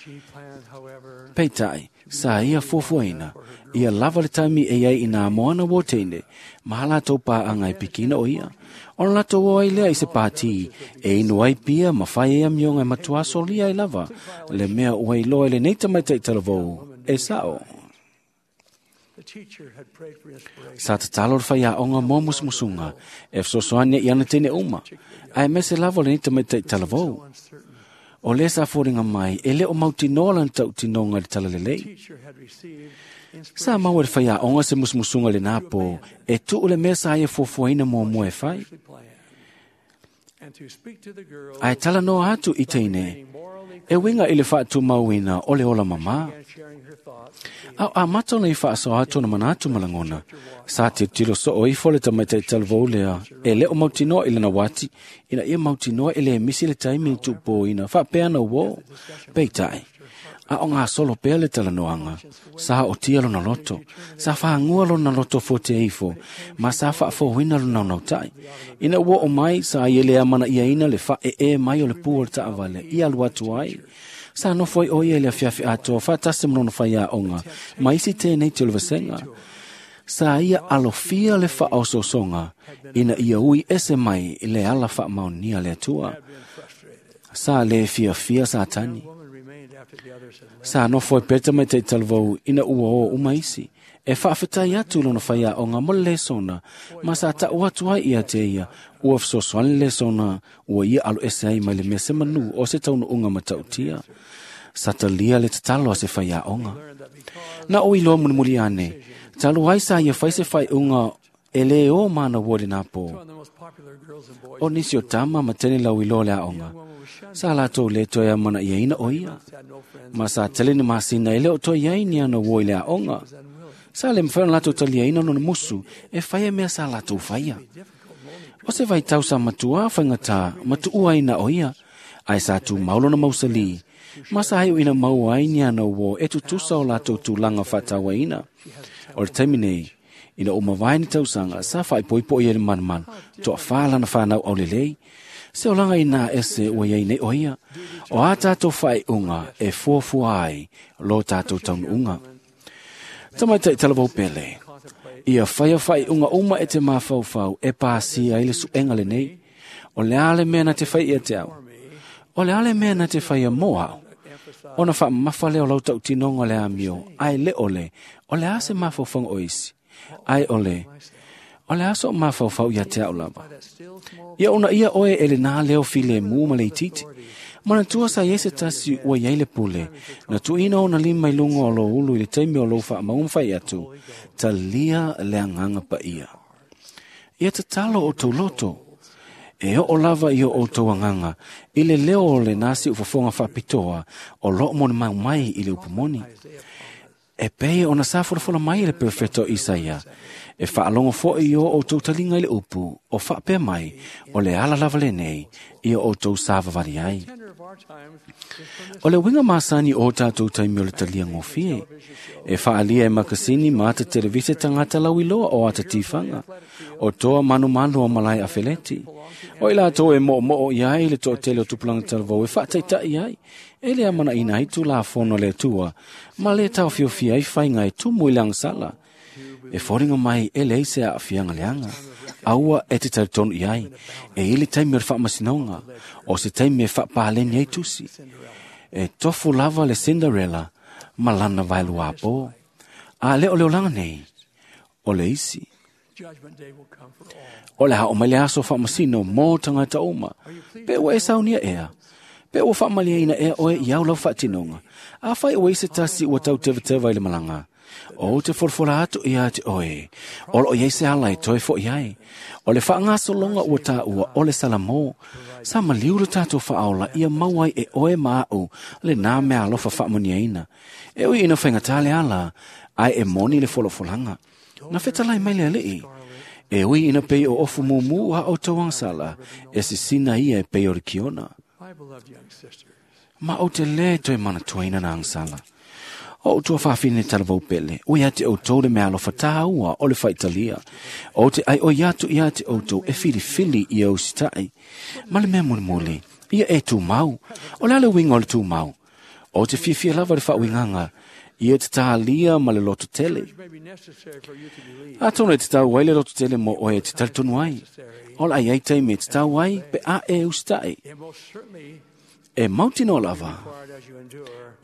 Peitai, sa ia fuafuaina, ia lava le taimi e iai i nā moana uō teine, ma latou paaga e pikina o ia. Ona latou o ai lea i se pātī, e inu ai pia ma fai ai amioga e matua solia ai lava, le mea ua iloa i lenei tamaitai talavou, e sao. Sa tatalo le faiaoga mo musumusuga, e fesoasoani i ana teine uma, ae mese lava o lenei tamaitai talavou. O le sa foliga mai, e le o mautinoa lana tautinoga i le talalelei. Sa maua e le faiaoga se musumusuga i lenā pō, e tuu le mea sa ia fuafuaina muamua e fai. Ae talanoa atu i teine, e uiga i le faatumauina o le ola mamā. A o amata ona i faasoa atu ona manatu ma lagona, sa tilotilo soo ifo le tamaitai talavou lea e le o mautinoa i lana uati, ina ia mautinoa e lē misi le taimi i tuupōina faapea ana uō. Peitai, a o gasolo pea le talanoaga, sa otia lona loto, sa fagua lona loto fote ifo, ma sa faafouina lona naunautai. Ina ua oo mai, sa ia le amanaiaina le faaee mai o le pu o le taavale i alu atu ai. Sa nofo ai o ia i le afiafi atoa faatasi ma lona faiaoga, ma isi tenei te o le vasega. Sa ia alofia le faaosoosoga, ina ia ui ese mai le ala faamaonia le Atua. Sa lē fiafia Satani. Sa nofo ai pea tamaitai talavou ina ua o uma isi, E faafetai atu lona faiaoga mo le lesona, ma sa taʻu atu ai ia te ia, ua fesoasoani le lesona ua ia alo ese ai mai le mea se manu o se taunuuga matautia. Sa talia le tatalo a se faiaoga. Na o iloa mulimuli ane, talu ai sa ia fai se faaiuga e lē o mana ua le nā pō. O nisi o tama ma tene lau iloa le aoga, sa latou lē toe amanaiaina o ia. Ma sa tele ni masina e le o toe iai ni ana ua i le aoga. Sa le mafai ona latou taliaina lona musu e faia mea sa latou faia. O se vaitau sa matuā faigata ma tuua ai na o ia, ae sa tumau lona mausalī, ma sa iuina maua ai ni ana uō e tutusa o latou tulaga faatauaina. O le taimi nei, ina ua mavae ni tausaga sa faaipoipo ia le malumalu, toafā lana fanau aulelei. Se olaga inā ese ua iai nei o ia, o a tatou faaiuga e fuafua ai lo tatou taunuuga. Tamaitai talavou pele, ia faia faaiuga uma e te mafaufau e pasia ai le suega lenei. O le a le mea na te fai ia te au? O le a le mea na te faia mo au? Ona faamamafa lea o lau tautinoga o le amio, ae le o le, o le a se mafaufauga o isi? Ae o le, o le a so mafaufau ia te au lava? Ia ona ia oe e le nā leo filemu ma le itiiti. Manatua sa iai se tasi ua iai le pule, na tuuina ona lima i luga o lou ulu i le taimi o lou faamauga ma fai atu, talia le agaga paia. Ia tatalo o outou loto, e oo lava i o outou agaga, i le leo o le nasi ufofoga faapitoa o loo molimau mai i le upu moni. E pei ona sa folafola mai e le perofeta o Isaia, e faalogo foi i o outou taliga i le upu, o faapea mai, o le ala lava lenei, ia outou savavali ai. O le uiga masani o tatou taimi o le talia gofie, e faaalia e makasini ma ata televise tagata lauiloa o ata tifaga, o toa manumanu o malae afeleti. O i latou e moomoo i ai le toatele o tupulaga talavou e faataitai ai, e le amanaina ai tulafono a le Atua, ma le taofiofia ai faiga e tumu i le agasala. E foliga mai e leai se aafiaga leaga, aua e te talitonu i ai, e i le taimi o le faamasinoga, o se taimi e faapaleni ai tusi. E tofu lava le Cinderella ma lana vaeluapō. A le o le olaga nei, o le isi. O le ao mai le aso faamasino mo tagata uma, pe ua e saunia ea, pe ua faamaliaina ea oe i au lau faatinoga, afai ua i se tasi ua tautevateva i le malaga, o te folafola atu ia te oe, o loo iai se ala e toe foʻi ai. O le faagasologa ua taua o le Salamo, sa maliu le tatou faaola ia maua ai e oe ma aʻu lenā mea alofa faamuniaina. E ui ina faigatā le ala, ae e moni le folafolaga. Na fetalai mai le alii, e ui ina pei o ofu mumu a outou agasala, e sisina ia e pei o le kiona. Ma ou te lē toe manatuaina na agasala. O outou faafine talavou pele, ua ia te outou le mea alofa tāua o le faitalia. O te ai o ia atu ia te outou e filifili ia usitaʻi. Ma le mea mulimuli, ia e tumau. O le a le uiga o le tumau? O te fiafia lava le faauigaga, ia te tālia ma le loto tele. Atonu e te tau ai le loto tele mo oe e te talitonu ai. O le ai ai taimi e te tau ai pe a e usitaʻi. E mautinoa lava,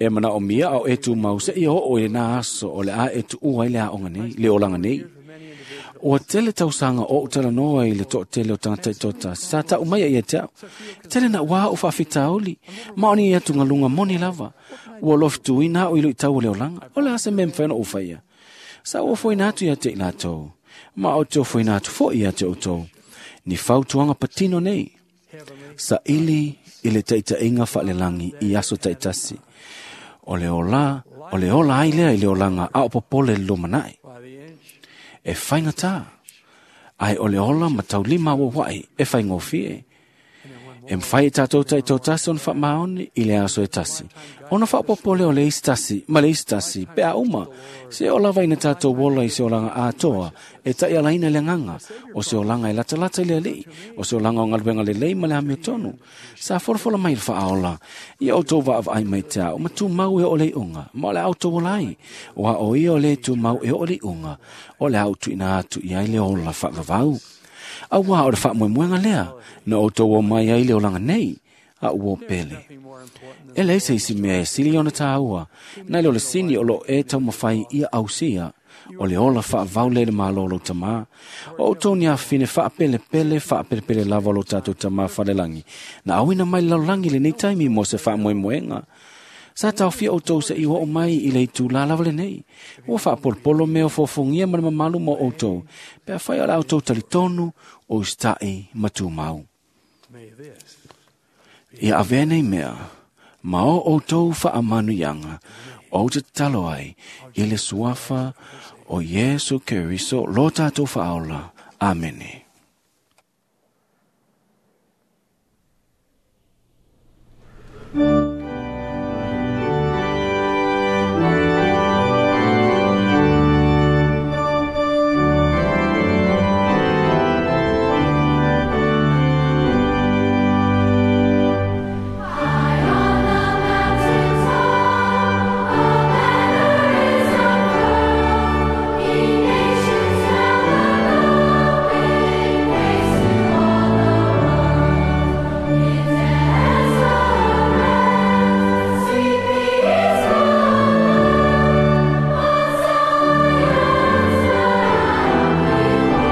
e manaomia ao e tumau se ia oo i le nā aso o le a e tuua ai le aoga nei, le olaga nei. Ua tele tausaga o ou talanoa i le toatele o tagata i toatasi, sa taʻu mai ai ia te au. Tele na ua o faafitauli, ma o ni atugaluga moni lava. Ua lofituina au i luitau o le olaga, o le a se mea e mafai ona ou faia. Sa ou ofoina atu ia te i latou, ma o te ofoina atu foi ia te outou, ni fautuaga patino nei. Saili i le taitaiga faalelagi i aso taitasi. O le ola, o le ola ai lea i le olaga a o popole le lumanaʻi. E faigatā, ae o le ola ma taulima auauaʻi e faigofie. E mafai e tatou taitoatasi ona faamaoni i le aso e tasi, ona faaopoopo lea o le isi tasi ma le isi tasi pe a uma, se o lava ina tatou ola i se olaga atoa e taialaina le agaga, o se olaga e latalata i le alii, o se olaga o galuega lelei ma le amiotonu. Sa folafola mai le faaola, ia outou vaavaai mai te ao, ma tumau e oo le iuga, ma o le a outou ola ai, aua o ia o le tumau e oo le iuga, o le a ou tuuina atu i ai le ola faavavau. Auā o le faamoemoega lea, na outou o mai ai le olaga nei, a ua pele. E leai se isi mea e sili ona tāua, nai lo le sini o loo e taumafai ia ausia, O le ola whaavau le malo lo tama. O outou ni afine whaapelepele, whaapelepele lava lo tātou tama whalelangi. Na awina mai lallangi le nei taimi mo se whaamoemoenga. Sa taofia outou se i o mai i le itu la lava lenei. Ua whaapolopolo mea o fofongia ma le mamalu mo outou. Pe a whai o la outou talitonu o istai matumau. Ia avea nei mea, ma o outou whaamanuianga, o te tatalo ai, i le suafa o Iesu Keriso lo tātou whaaola. Amene. High on the mountain top, a banner is unfurled. Ye nations round the globe, bring praise to all the world. In desolate, sweet peaceful land, on Zion's mount behold its stand. For God remembers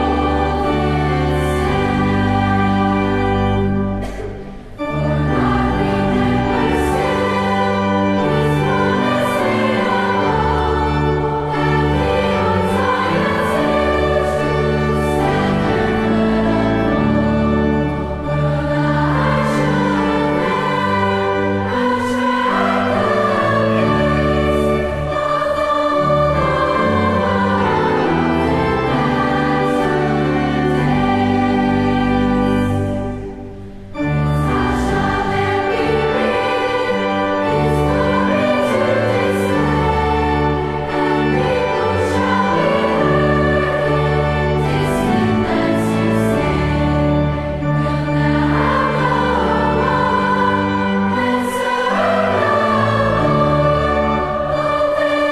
still His promise made of old, that He on Zion's hill should set their foot uphold. Whirl thy children, attract the gates, of all the world in latter days. How shall there be writ His glory to display, and people shall be heard in distant lands to say, Wilt thou go up and serve the Lord? Obey His truth and learn His word. For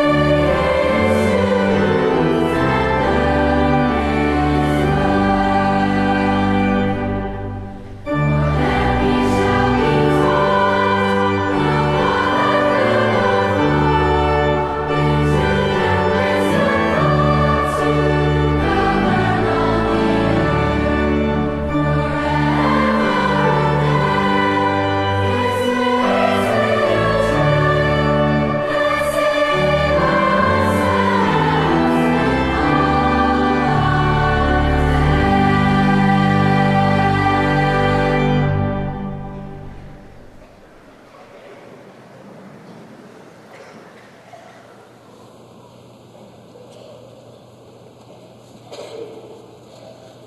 there we shall be taught the brotherhood of all, in truth and wisdom taught to govern all the earth. Forever there His ways will tread, and save ourselves with all our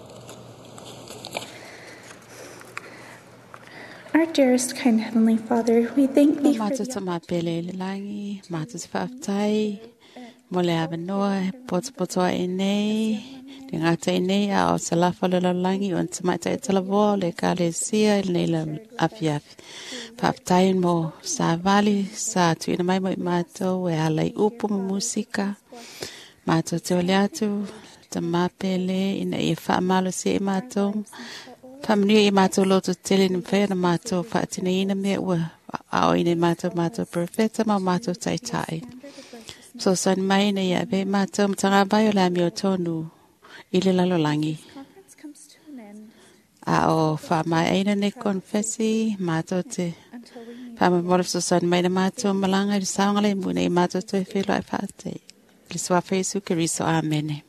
dead. Our dearest, kind Heavenly Father, we thank Lo Thee for mātou the ta mapele i le langi, mātou te whaaftai, mo le awanoa, he potopotoa e nei, le ngata e nei, a o te lafa le lallangi, o te maitai e talavoa, o le kalesia, i nei la afiafi. Whaaftai mo sa vali, sa tuina mai mo i mātou, e ala i upu mo musika. Mātou te ole atu, te mapele, ina i whaamalo se i mātou. Whamanui i mātou loto tele ni mwhea na mātou whaatina ina mea ua ao ina i mātou mātou profeta ma mātou taitai. So san mai na ia ve mātou mtanga vai o la mi o tonu i le lalolangi. conference comes to an end A o wha mai aina ne konfesi mātou te until we meet. whamamora so san mai na mātou malanga i saungale muna i mātou te whilo ai whaate. Le sua Jesu Keriso. Amene.